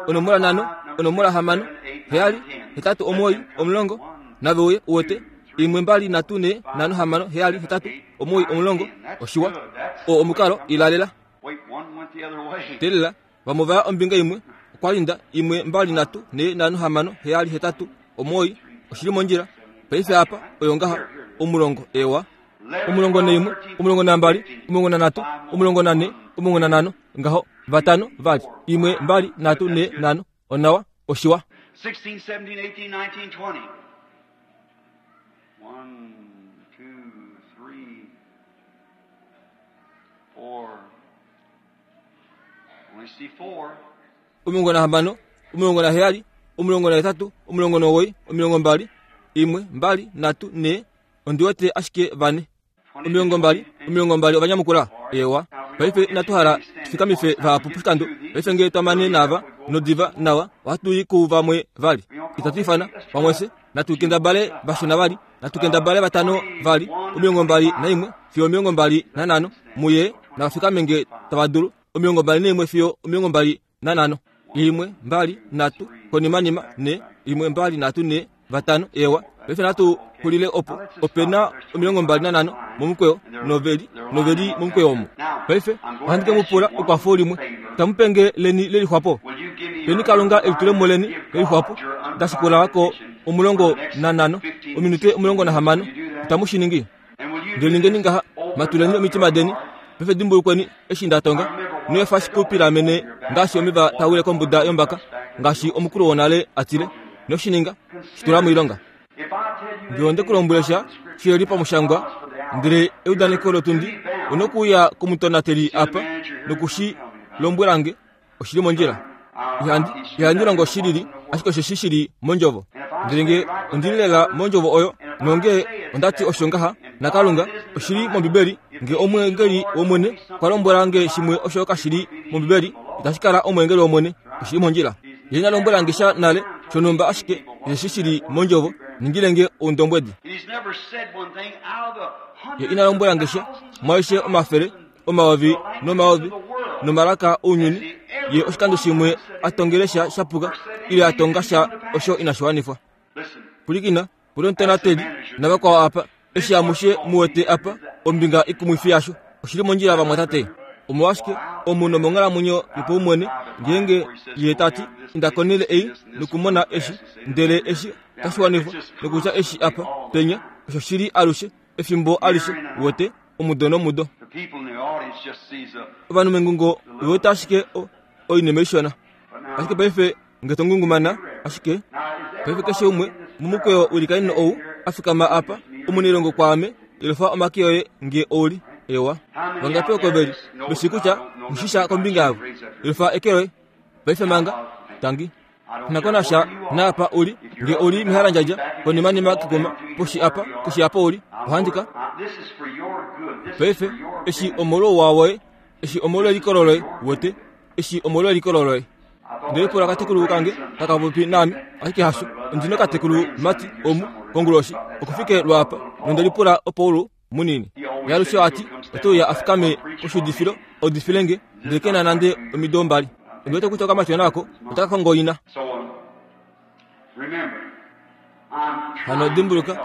onomola nhano, onomola hamano, heyali, hetatu, omuwoi, omulongo, nave uye, uwete? Imwe, mbali, nhatu, nhe, nhano, hamano, heyali, hetatu, omuwoi, omulongo. Oshiwa. Oo omukalo, ilalela. Teelela. Vamwe ova ya ombinga imwe, okwa linda, imwe, mbali, nhatu, nhee, nhano, hamano, heyali, hetatu, omuwoi, oshi li mondjila. Paife apa, oyo ngaha, omulongo, ewa. 11, 12, 13, 14, 15, ngaho, vatano, vali, 1, 2, 3, 4, 5, onawa, oshiwa. 16, 17, 18, 19, 20. 1, 2, 3, 4. Only see 4. 16, 17, 18, 19, 20, 1, 2, 3, 4, ondi wete ashike vane. 20, 20 ovanyamukula. Ewa. Paife inatu hala tufikamife vahapu poshikando. Paife ngee twamane naava nodiva nawa, ohatu i kuvamwe vali. Itatu ifana vamwe fye, natu kendabale vashona vali, natu kendabale vatano vali, 21 fiyo 25, muye navafikame nge tava dulu, 21 fiyo 25. 1, 2, 3, konimanima, 4, 1, 2, 3, 4, vatano, ewa. Paife natu xulile opo, ope na 25 momukweyo, noveli, noveli momukweyo omo. Paife, ohandi ke mu pula ekwafo limwe. Tamu pe nge leni lelixwapo? Peni Kalunga elitulemo leni lelixwapo, nda shikula ko 15, ominute 16, itamu shi ningi? Ndele ningeni ngaha, matuleni omitima deni, paife dimbulukweni eshi nda tonga, noefa shi ku pilamene ngaashi omeva taa wile kombuda yombaka, ngaashi omukulu wonale a tile, noshininga, shi tula moilonga. Ngee onde ku lombwele sha shi li pamushangwa, ndele eudaneko lotundi, onokuuya komutonateli apa noku shi lombwela nge, oshi li mondjila. Ihandi, ihandi longo shi lili, ashike osheshi shi li mondjovo. Ndele nge ondi li lela mondjovo oyo, nonge onda ti osho ngaha, naKalunga, oshi li mOmbibeli, nge omweengeli wOmwene okwa lombwela nge shimwe osho kashi li mOmbibeli, itashi kala omweengeli wOmwene, oshi li mondjila. Ye ina lombwela nge sha nale shonhumba ashike osheshi shi li mondjovo, ningile nge oundombwedi. Ye ina lombwela nge sha, mwaaishe omafele, omayovi nomayovi, nomalaka ounyuni, ye oshikando shimwe a tongele sha shapuka, ile a tonga sha osho inashi wanifwa. Pwilikina, pula omutonateli navakwao apa, eshi amushe mu wete apa ombinga ikumwifi yasho, oshi li mondjila vamwatate. Omolwashike omunhu omonghalamwenyo yopaumwene ngeenge ye ta ti, Inda konhele ei nokumona eshi, ndele eshi otashi wanifwa, nokutya eshi apa, penya, osho shi li alushe, efimbo alishe, wete, omudo nomudo. Ovanhu mengungo ove wete ashike o, oinima ishona. Ashike paife nge to ngungumana, ashike paife keshe umwe momukweyo wilikanino ou a fikama apa, omunailongo kwaame, yelufa omake oye nge ou li. Ewa. Vangapi oko ve li, ve shii kutya nghi sha kombinga yavo? Yelufa eke loye. Paife manga, tangi. Nakonasha naapa u li, nge u li mehalandjadja, konimanima kekuma, poshi apa, keshe apa u li, ohandi ka. Paife, eshi omolwouwa woye, eshi omolwelikolo loye, wete, eshi omolwelikolo loye. Ndele pula katekulu kange taka popi naame, ashike hasho, ondi nokatekulu mati omu, konguloshi, okufike lwaapa, nonde lipula opo ulu munini. Yalushe ati, ote uya a fikame koshuudifilo, a udifile nge, ndele ke na nande omido mbali. Ondi wete kutya okamatyona ako otaka kongo ina. Hano dimbuluka,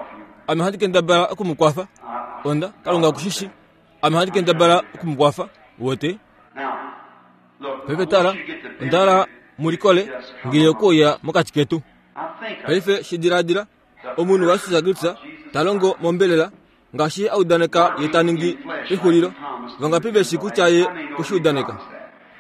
ame ohandi kendabala oku mu kwafa. Onda, Kalunga oku shi shii. Ame ohandi kendabala oku mu kwafa, wete. Paife tala, onda hala mu likole nge ye okuuya mokati ketu. Paife shi diladila, omunhu waJesus Kristus ta longo mombelela ngaashi ye a udaneka ye ta ningi pexulilo. Vangapi ve shi kutya ye okwe shi udaneka?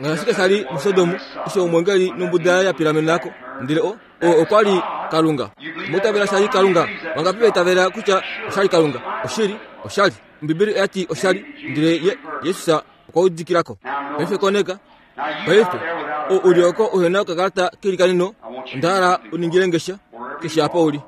Ngaashi ashike sha li muSodom, eshi omwengeli nombuda yaye ya pilamena ko, ndele o, oo okwa li Kalunga. Omwa itavela sha li Kalunga? Vangapi va itavela kutya osha li Kalunga? Oshili, osha li. Ombibeli oya ti osha li, ndele ye, Jesus okwa udikila ko. Paife koneka, paife, ou u li oko uhe na okakalata keilikaneno, onda hala u ningile nge sha, keshe apa u li.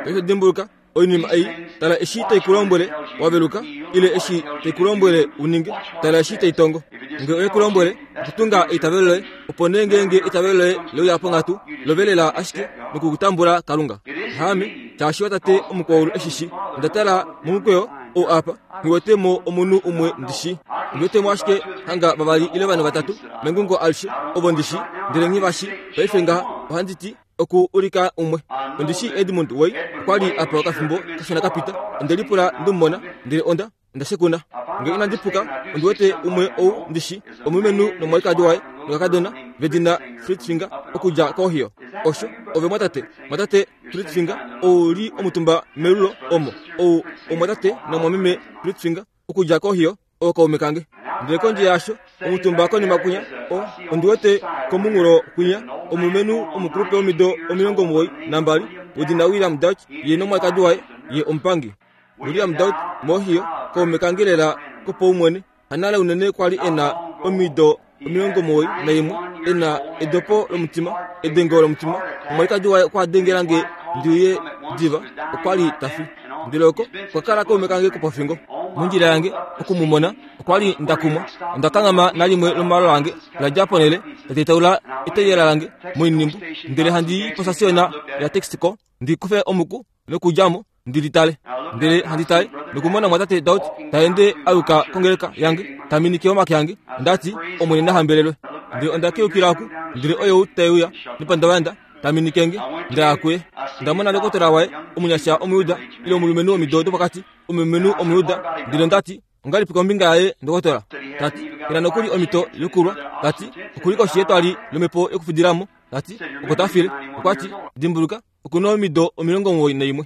Paife dimbuluka, oinima ei, tala eshi tai ku lombwele wa veluka, ile eshi tai ku lombwele u ninge, tala eshi tai tongo. Nge oye ku lombwele okutunga eitavelo loye, opo nee ngeenge eitavelo loye le uya ponghatu, lovelela ashike nokutambula Kalunga. Haame, shaashi watate omukwaulu e shi shi. Onda tala momukweyo ou apa, nghi wete mo omunhu umwe ndi shi. Ondi wete mo ashike hanga vavali ile vanhu vatatu mengungo alishe, ovo ndi shi, ndele nghi va shi. Paife ngaha ohandi ti, oku ulika umwe. Ondi shii Edmund Way okwa li apa okafimbo kashona ka pita. Onde lipula nde mu mona, ndele onda, onda shekuna. Nge inandi puka, ondi wete umwe ou ndi shi, omulumenhu nomwalikadi waye nokakadona vedina Fritzinger okudja koOhio. Osho, ove mwatate, mwatate. Pritfinger, ou li omutumba melulo omo, ou omwatate nomwameme Pritfinger, okudja kOhio, ookaume kange. Ndele kondje yaasho, omutumba konima kwinya, o, ondi wete komunghulo kwinya, omulumenhu omukulupe womido 92, wedina William Dauch, ye nomwalikadi waye, ye omupangi. William Dauch moOhio, kaume kange lela kopaumwene, hanale unene kwa li e na omido 91, e na edopo lomutima, edengo lomutima. Omwalikadi waye okwa dengela nge ndi uye diva, okwa li ta fi. Ndele oko okwa kala kaume kange kopofingo. Mondjila yange oku mu mona, okwa li nda kumwa. Onda kanghama nalimwe lomalo ange la dja ponhele, la tetaula eteyela lange moinhimbu, ndele handi i posasiona yaTexaco ndi kufe omuku nokudja mo ndi litale. Ndele handi tale nokumona mwatate Daud ta ende a yuka kongeleka yange, ta minike omake ange. Onda ti, Omwene na hambelelwe. Ndele onda keukila oku, ndele oye ou te uya nepandavanda, ta minike nge. Nda ya kuye. Onda mona ndokotola waye, omunyasha Omuyuda, ile omulumenhu womido dopokati, omulumenhu Omuyuda. Ndele onda ti, Ongahelipi kombinga yaye ndokotola? Ta ti, Ke na nokuli omhito yokulwa. Ta ti, Oku li koshi yetwali lomhepo yokufudila mo. Ta ti, Oko ta file. Okwa ti, Dimbuluka, oku na omido 91.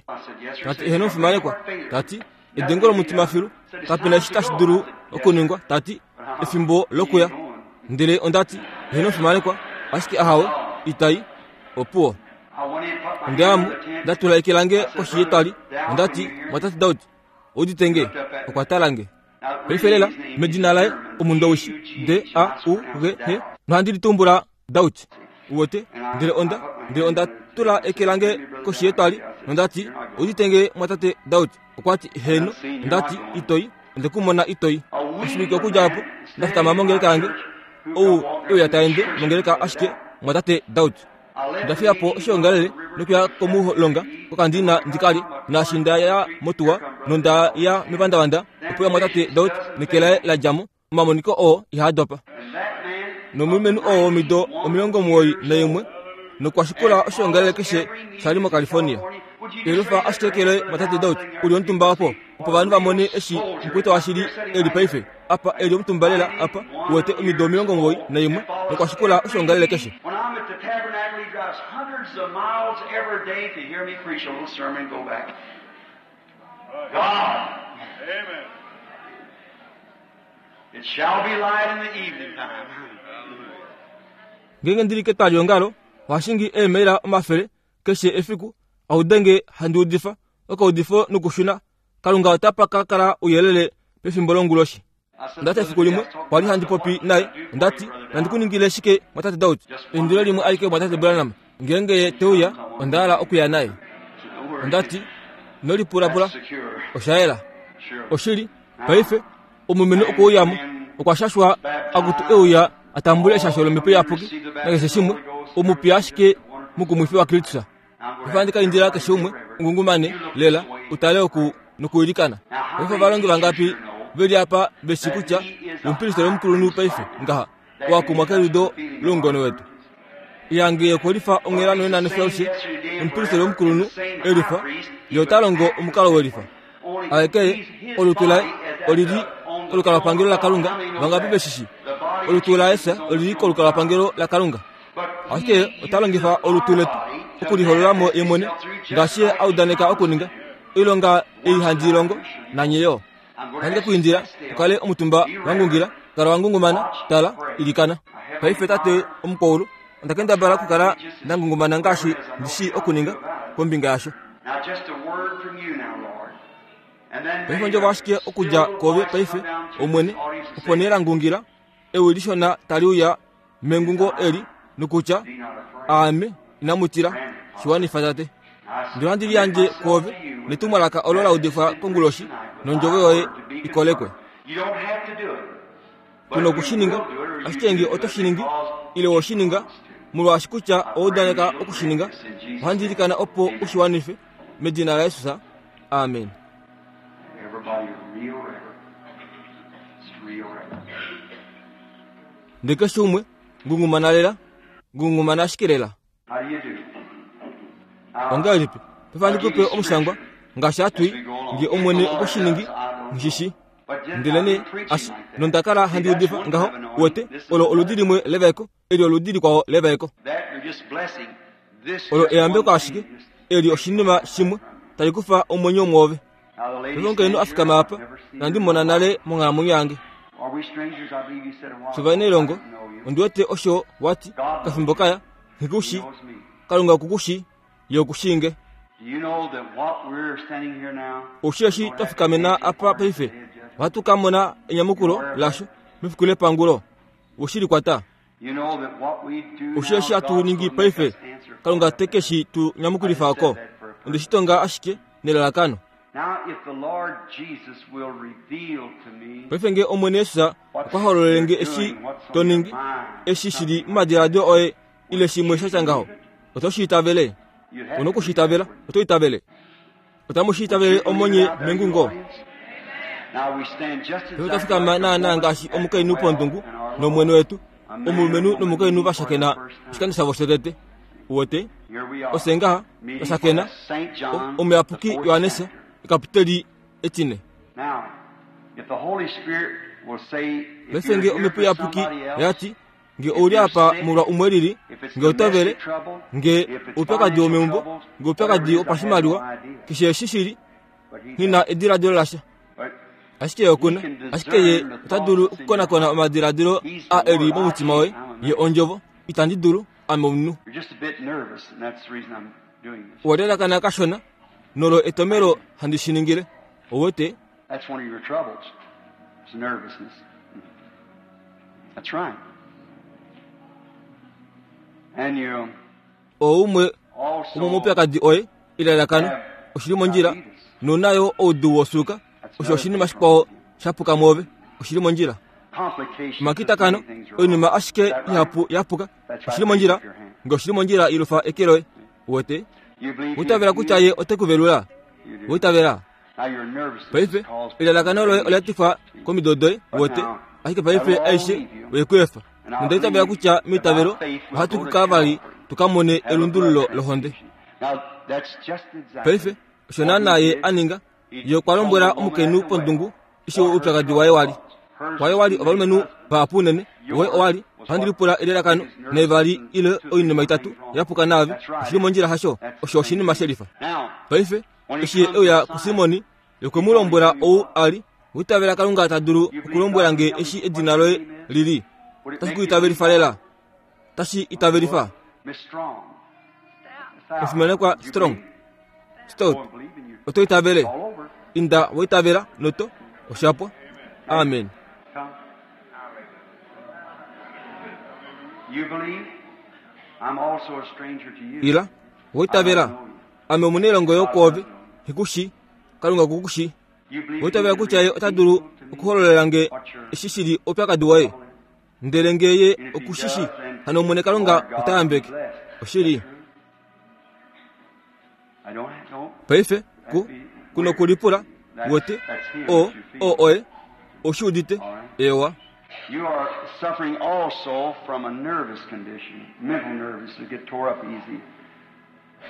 Ta ti, Eheno omufimanekwa. Ta ti, Edengo lomutima filu. Kape na eshi tashi dulu okuningwa. Ta ti, Efimbo lokuya. Ndele onda ti, Eheno omufimanekwa, ashike ahawe, itai. Opuwo. Onda ya mo, nda tula eke lange koshi yetwali, onda ti, Mwatate Daud, udite nge? Okwa tala nge. Paife lela, medina laye, Omundowishi, D-A-U-G-H, nohandi litumbula Daud. Uwete? Ndele onda, ndele onda tula eke lange koshi yetwali, nonda ti, Udite nge, mwatate Daud? Okwa ti, Heeno. Onda ti, Itoi. Onde ku mona itoi. Oshivike okudja opo, nda fikama mongeleka yange, ou e uya ta ende mongeleka ashike mwatate Daud. Onda fiya po oshoongalele nokuya komulonga kokandina ndi ka lye. Naashi nda ya motuwa nonda ya mepandavanda, opo ya mwatate Daud neke laye la dja mo. Omamoniko oo ihaa dopa. Nomulumenhu oo womido 91 nokwa shikula oshoongalele keshe sha li moCalifornia. Elufa ashike kele mwatate Daud u li omutumba opo, opo ovanhu va mone eshi mukwetu washili e li paife. Apa e li omutumba lela apa, uwete omido 91 nokwa shikula oshoongalele keshe. When I'm at the tabernacle, he drives hundreds of miles every day to hear me preach a little sermon and go back. God. Amen. It shall be light in the evening time. Ngeenge ndi li ketwaliongalo, oha shingi eemaila omafele keshe efiku a ude nge handi udifa okaudifo nokushuna. Kalunga otapa ka kala ouyelele pefimbo longuloshi. Onda ti efiku limwe kwa li handi popi naye, onda ti, Nandi ku ningile shike, mwatate Daud? Eindilo limwe alike mwatate Branham, ngeenge ye te uya, onda hala okuya naye. Onda ti, Ino lipulapula, osha yela. Oshili, paife, omulumenhu okwe uya mo, okwa shashwa akutu e uya a tambule eshasho lOmhepo Iyapuki nakeshe shimwe, omupiya ashike mukumwifi waKristus. Paife ohandi ka indila keshe umwe ungungumane lela u tale oku nokuilikana. Paife ovalongi vangapi ve li apa ve shi kutya omupristeli omukulunhu paife ngaha owa kumwa keliudo loungone wetu? Ihange ye okwe lifa onghela nonena nefyo alishe, omupristeli omukulunhu e lifa, ye ota longo omukalo we lifa. Aeke ye, olutu laye oli li kolukalwapangelo laKalunga, vangapi ve shi shii? Olutu laJesus oli li kolukalwapangelo laKalunga. Ashike ye ota longifa olutu letu okuliholola mo ye mwene, ngaashi ye a udaneka okuninga. Oilonga ei handi i longo, nanye yo. Ohandi ke ku indila u kale omutumba wa ngungila, kala wa ngungumana, tala, ilikana. Paife Tate omukwaulu, onda kendabala okukala nda ngungumana ngaashi ndi shii okuninga kombinga yasho. Now just a word from you now, Lord. And then Paife ondjovo ashike okudja kwoove paife, Omwene, opo nee la ngungila, ewi lishona tali uya mengungo eli, nokutya, Aame, inamu tila, shi wanifa Tate. Ndele ohandi liyandje kwoove, netumwalaka olo la udifwa konguloshi, nondjovo yoye i kolekwe. You don't have to do it. Tu noku shi ninga, ashike nge oto shi ningi, ile we shi ninga, molwaashi kutya owa udaneka oku shi ninga, ohandi ilikana opo u shi wanife, medina laJesus. Amen. Everybody real reverent. It's real reverent. Ndele keshe umwe, ngungumana lela, ngungumana ashike lela. How do you do? Ongahelipi? Paife ohandi ku pe omushangwa, ngaashi hatu i, nge Omwene okwe shi ningi, nghi shi. Ndelenee, ashi, nonda kala handi udifa ngaho, uwete, olo oludi limwe levaeko, eli oludi likwao levaeko. That you're just blessing. This Olo just eyambeko one ashike, thing. Eli oshinima shimwe tali kufa omwenyo mwoove. Omukainhu a fikama apa, inandi mona nale monghalamwenyo yange. Shovanailongo, ondi wete osho wa ti kafimbo kaya, nghi ku shi, Kalunga oku ku shi, Ye oku shii nge. Oushi eshi twa fikamena apa paife, ohatu ka mona enyamukulo lasho mefiku lepangulo. We shi likwata? Oushi eshi hatu ningi paife, Kalunga te ke shi tu nyamukulifa oko. Onde shi tonga ashike nelalakano. Paife nge Omwene Jesus okwa hololele nge eshi to ningi, eshi shi li momadiladilo oye ile shimwe sha tya ngaho, oto shi itavele? Ou na oku shi itavela. Oto itavele? Otamu shi itavele omonye mengungo? Paife otwa fikama naanaa ngaashi omukainhu pondungu nOmwene wetu, omulumenhu nomukainhu va shakena oshikando shavo shotete. Uwete? Ofye ngaha twa shakena, omuyapuki Johannes, ekaputeli etine. Paife nge Omhepo Iyapuki oya ti, Nge ou li apa molwa umwe lili, nge oto vele, nge oupyakadi womeumbo, nge oupyakadi wopashimaliwa, keshe eshi shi li, nghi na ediladilo lasha. Ashike ye oku na, ashike ye ota dulu okukonakona omadiladilo a e li momutima woye. Ye Ondjovo. Itandi dulu, ame omunhu. Owa lelakana kashona, nolo etomelo handi shi ningile. Ou wete? Oo umwe womomaupyakadi oye, elalakano, oshi li mondjila, nou na yo oudu wosuuka, osho oshinima shikwao sha puka mwoove, oshi li mondjila. Omakitakano, oinima ashike ihapu ya puka, oshi li mondjila, nge oshi li mondjila ilufa eke loye. Uwete? Uitavela kutya ye ote ku velula? Uitavela? Paife, elalakano loye ola tifwa komido doye, uwete, ashike paife aishe oye ku efa. Nonda itavela kutya meitavelo ohatu ku Kalvari tu ka mone elundululo lohonde. Paife, osho naanaa ye a ninga. Ye okwa lombwela omukainhu pondungu eshi oupyakadi waye wa li. Waye wa li ovalumenhu vahapu unene, woye owa li, ohandi lipula elalakano, naivali ile oinima itatu ya puka naave. Oshi li mondjila hasho? Osho oshinima shelifa. Paife, eshi ye e uya kuSimoni, Ye okwe mu lombwela ou a li. Owa itavela Kalunga ta dulu okulombwela nge eshi edina loye li li? Otashi ku itavelifa lela? Otashi itavelifa? Omufimanekwa Strong, Stout, oto itavele? Inda wa itavela noto osha pwa. Amen. Ila, wa itavela. Ame omunailongo yo kwoove, nghi ku shii. Kalunga oku ku shii. Owa itavela kutya Ye ota dulu okuhololela nge eshi shi li oupyakadi woye? Ndele nge Ye oku shi shii, hano Omwene Kalunga ota yambeke. Oshili. Paife, ku, ku nokulipula, wete, o, o oye, ou shi udite? Eewa. You are suffering also from a nervous condition, mental nervous, that get tore up easy.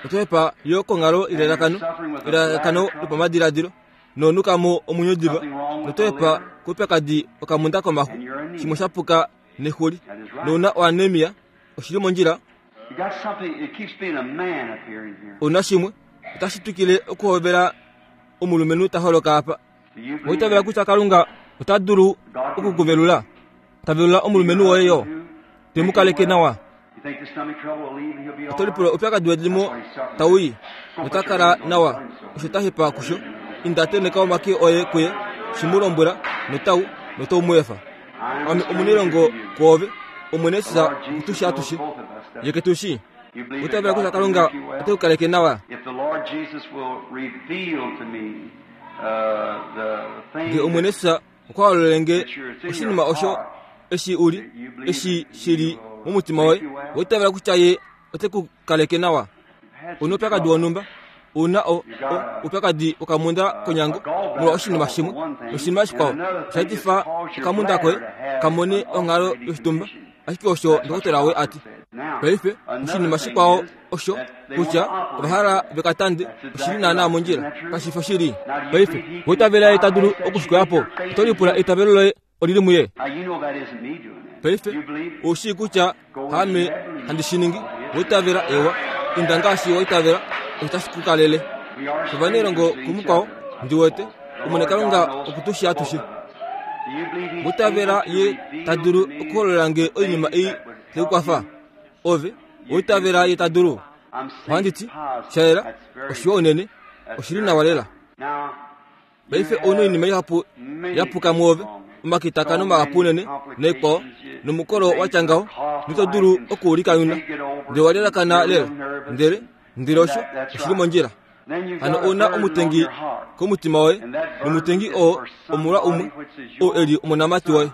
Oto hepa yo konghalo ilalakano, elalakano lopamadiladilo, nonuka mo omwenyo diva, noto hepa koupyakadi wokamunda komaxu, shimwe sha puka nexuli, nouna oanemia, oshi li mondjila. Ouna shimwe, otashi twikile okuhovela omulumenhu ta holoka apa. Owa itavela kutya Kalunga ota dulu oku ku velula? Ta velula omulumenhu woye yo, te mu kaleke nawa. Oto lipula oupyakadi wedimo tau i, nota kala nawa, osho ta hepa kusho. Inda tenheka omake oye kuye, shi mu lombwela, notau, notau mu efa. Ame omunailongo kwoove, Omwene Jesus oku tu shii atushe. Ye ke tu shii. Owa itavela kutya Kalunga ote ku kaleke nawa? Nge Omwene Jesus okwa hololele nge oshinima osho eshi u li, eshi shi li momutima woye, owa itavela kutya Ye ote ku kaleke nawa? Ou na oupyakadi wonhumba, ou na o, o, oupyakadi wokamunda konyango molwa oshinima shimwe, noshinima shikwao osha etifa okamunda koye ka mone onghalo yoshitumba. Ashike osho ndokotola woye a ti. Paife, oshinima shikwao osho kutya ova hala ve ka tande, oshi li naanaa mondjila. Kashi fi oshili? Paife, owa itavela ye ta dulu oku shi koya po? Oto lipula eitavelo loye oli li muye? Paife, ou shii kutya haame handi shi ningi. Owa itavela? Ewa. Inda ngaashi wa itavela. Otashi ku kalele. Ovanelongo kumukwao, ndi wete, Omwene Kalunga oku tu shii atushe. Mutavela ye ta dulu okuhololela nge oinima ei tai ku kwafa? Ove oitavela ye ta dulu? Ohandi ti, sha yela, oshiwa unene, oshi li nawa lela. Paife ou na oinima ihapu ya puka mwoove, omakitakano mahapu unene naikwao, nomukolo wa tya ngaho, noito dulu oku u likanyuna. Ndele owa lelakana lela. Ndele, ndele osho oshi li mondjila. Hano ou na omutengi komutima woye, nomutengi oo omolwa umwe, oo e li omonamati woye.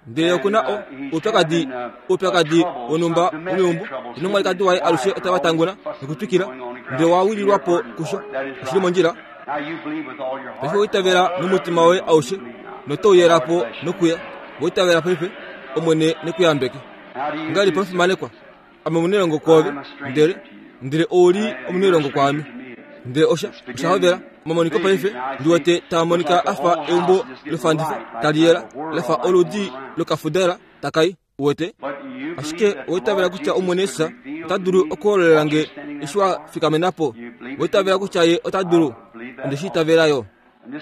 Ndele oku na o, oupyakadi, oupyakadi wonhumba womeumbo, nomwalikadi waye alushe otava tanguna nokutwikila, ndele wa wililwa po kusho. Oshi li mondjila. Paife owa itavela nomutima woye aushe, noto uyela po nokuya. Owa itavela paife, Omwene ne ku yambeke. Ongahelipi omufimanekwa? Ame omunailongo kwoove, ndele, ndele ou li omunailongo kwaame. Ndele osha, osha hovela, omamoniko paife, ndi wete taa monika a fa eumbo lofandifa tali yela, la fa oludi lokafudela taka i, uwete. Ashike owa itavela kutya Omwene Jesus ota dulu okuhololela nge eshi wa fikamena po? Owa itavela kutya Ye ota dulu? Onde shi itavela yo.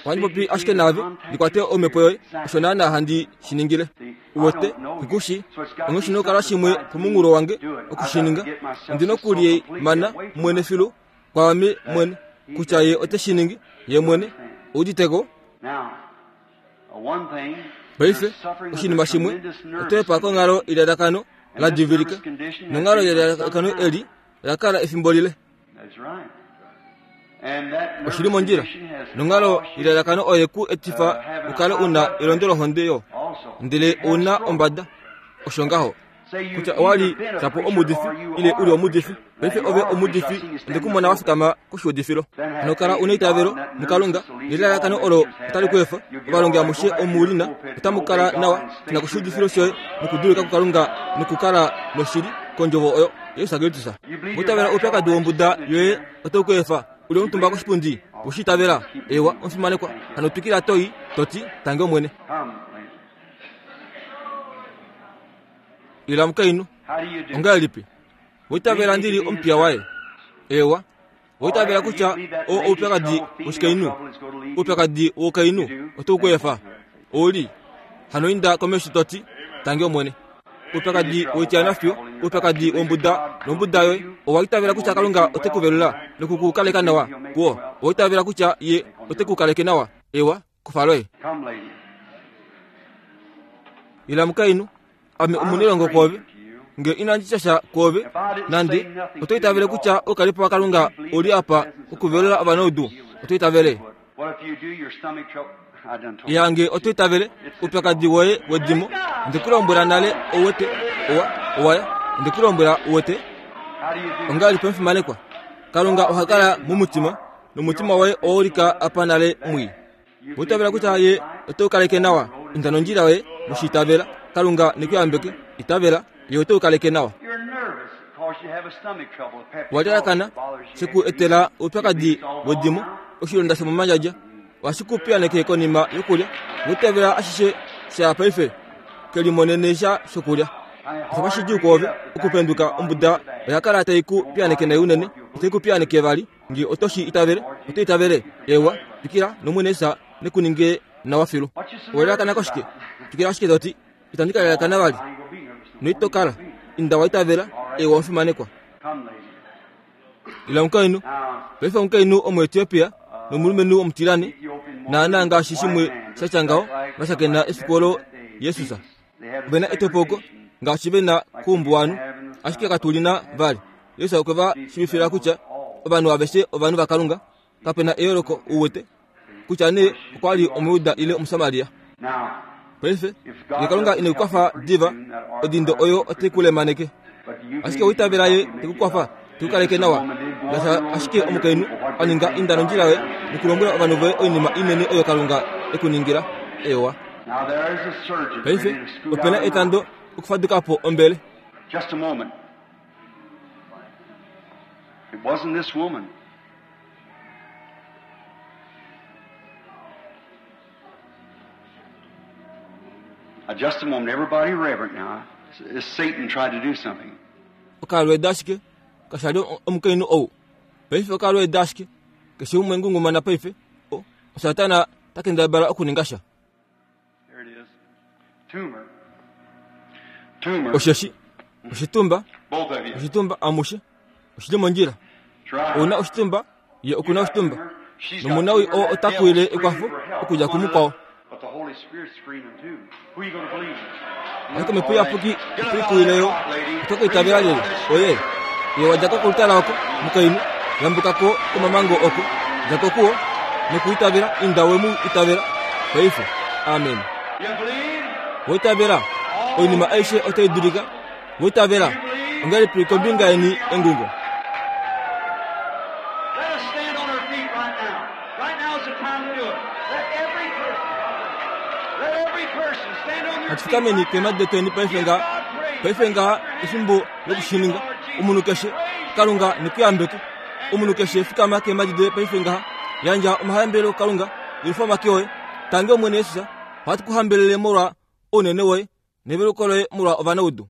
Ohandi popi ashike naave, ndi kwate omhepo yoye, osho naanaa handi shi ningile. Uwete, ku shi, onghee oshi na okukala shimwe pomunghulo wange oku shi ninga. Ondi na okulimana mwene filu kwaame mwene, kutya ye ote shi ningi, ye mwene. Ou udite ko? Paife, oshinima shimwe, oto hepa konghalo yelalakano la divilika, nonghalo yelalakano eli oya kala efimbo lile. Oshi li mondjila. Nonghalo yelalakano oye ku etifa u kale u na elondo lohonde yo, ndele ou na ombada. Osho ngaho. Kutya owa li shapo omuudifi ile u li omuudifi, paife ove omuudifi, onde ku mona wa fikama koshiudifilo. Hano kala u neitavelo muKalunga, nelalakano olo otali ku efa. Ovalongi amushe omu li na, otamu kala nawa na koshiudifilo shoye nokudulika kuKalunga nokukala noshili kondjovo oyo. Jesus Kristus. Oitavela oupyakadi wombuda yoye otau ku efa u li omutumba koshipundi. We shi itavela? Eewa, omufimanekwa. Hano twikila to i, to ti, Tangi Omwene. Ila omukainhu. Ongahelipi? Wa itavela ndi li omupiya waye? Eewa. Owa itavela kutya oo oupyakadi woshikainhu? Oupyakadi woukainhu otau ku efa. Ou li. Hano inda komesho to ti, Tangi Omwene. Oupyakadi woityanafyo, oupyakadi wombuda nombuda yoye, owa itavela kutya Kalunga ote ku velula noku ku kaleka nawa kuo. Owa itavela kutya Ye ote ku kaleke nawa. Ewa, kufa loye. Ila mukainhu, ame omunelongo kwoove. Nge inandi tya sha kwoove, nande, oto itavele kutya oukalipo waKalunga ou li apa okuvelula ovanaudu? Oto itavele? Ya nge oto itavele, oupyakadi woye wedimo, onde ku lombwela nale, ou wete, owa, owa ya. Onde ku lombwela, u wete. Ongahelipi omufimanekwa? Kalunga oha kala momutima, nomutima woye owa ulika apa nale mwii. Oitavela kutya ye ote u kaleke nawa. Inda nondjila yoye noshiitavela. Kalunga ne ku yambeke. Itavela, ye ote u kaleke nawa. Wa lalakana she ku etela oupyakadi wedimo, oshilonda shomomandjadja. Ohashi ku piyaneke konima yokulya. Oitavela ashishe sha ya paife. Ke limonene sha shokulya. Osha fa shidjuu kwoove okupenduka ombuda oya kala tai ku piyaneke nai unene, itai ku piyaneke vali. Nge oto shi itavele, oto itavele? Ewa, twikila, nOmwene Jesus ne ku ninge nawa filu. Owa lalakana koshike? Twikila ashike to ti, Itandi ka lalakana vali. Noito kala. Inda wa itavela, ewa omufimanekwa. Ila omukainhu. Paife omukainhu Omuetiopia nomulumenhu omutilane, naanaa ngaashi shimwe sha tya ngaho, va shakena efiku olo Jesus. Ove na etopoko ngaashi ve na koumbuwanhu, ashike katu li na vali. Jesus okwe va shiivifila kutya ovanhu aveshe ovanhu vaKalunga, kape na eyooloko u wete kutya nee okwa li Omujuda ile Omusamaria. Paife, ngee Kalunga ine ku kwafa diva, odindo oyo otai ku lemaneke. Ashike owa itavela Ye te ku kwafa, te ku kaleke nawa. Ngaashi ashike omukainhu a ninga inda nondjila yoye nokulombwela ovanhu voye oinima inene oyo Kalunga e ku ningila. Eewa. Paife, ope na etando okufaduka po ombele. Just a moment. It wasn't this woman. Now, just a moment. Everybody reverent now. As Satan tried to do something. Okalweeda ashike, kasha li omukainhu ou. Paife okalweeda ashike. Keshe umwe ngungumana paife. O, Satana ta kendabala okuninga sha. There it is. Tumor. Tumor. Osheshi oshitumba, Both of you. oshitumba amushe oshi li mondjila. That's right. Ou na oshitumba, ye oku na You got oshitumba. tumor. She's got Nomunawi tumor. oo That ota devil's kuwile screaming ekwafo for help. okudja kumukwao. But the Holy Spirit's screaming too. Who you gonna believe? Ashike omhepo iyapuki otai kuwile yo. Oto ka itavela lyelye? Oye. Ye wa dja ko kolutala oko, mukainhu, yambuka ko komamango oko. Dja ko kuwo, nokuitavela, inda we mu itavela. Paife. Amen. You believe? Wa itavela? Oinima aishe otai dulika. Wa itavela? Ongahelipi kombinga yeni engungo? Let us stand on our feet right now. Right now is the time to do it. Let every person, let every person stand on their Natu feet. fikameni keemhadi detweni paife ngaha. Paife ngaha efimbo lokushininga. Omunhu keshe, Kalunga neku yambeke. Omunhu keshe fikama keemhadi doye paife ngaha. Yandja omahambelelo kuKalunga, yelufa omake oye. Tange Omwene Jesus, ohatu ku hambelele molwa ounene woye neveluko loye molwa ovanaudu.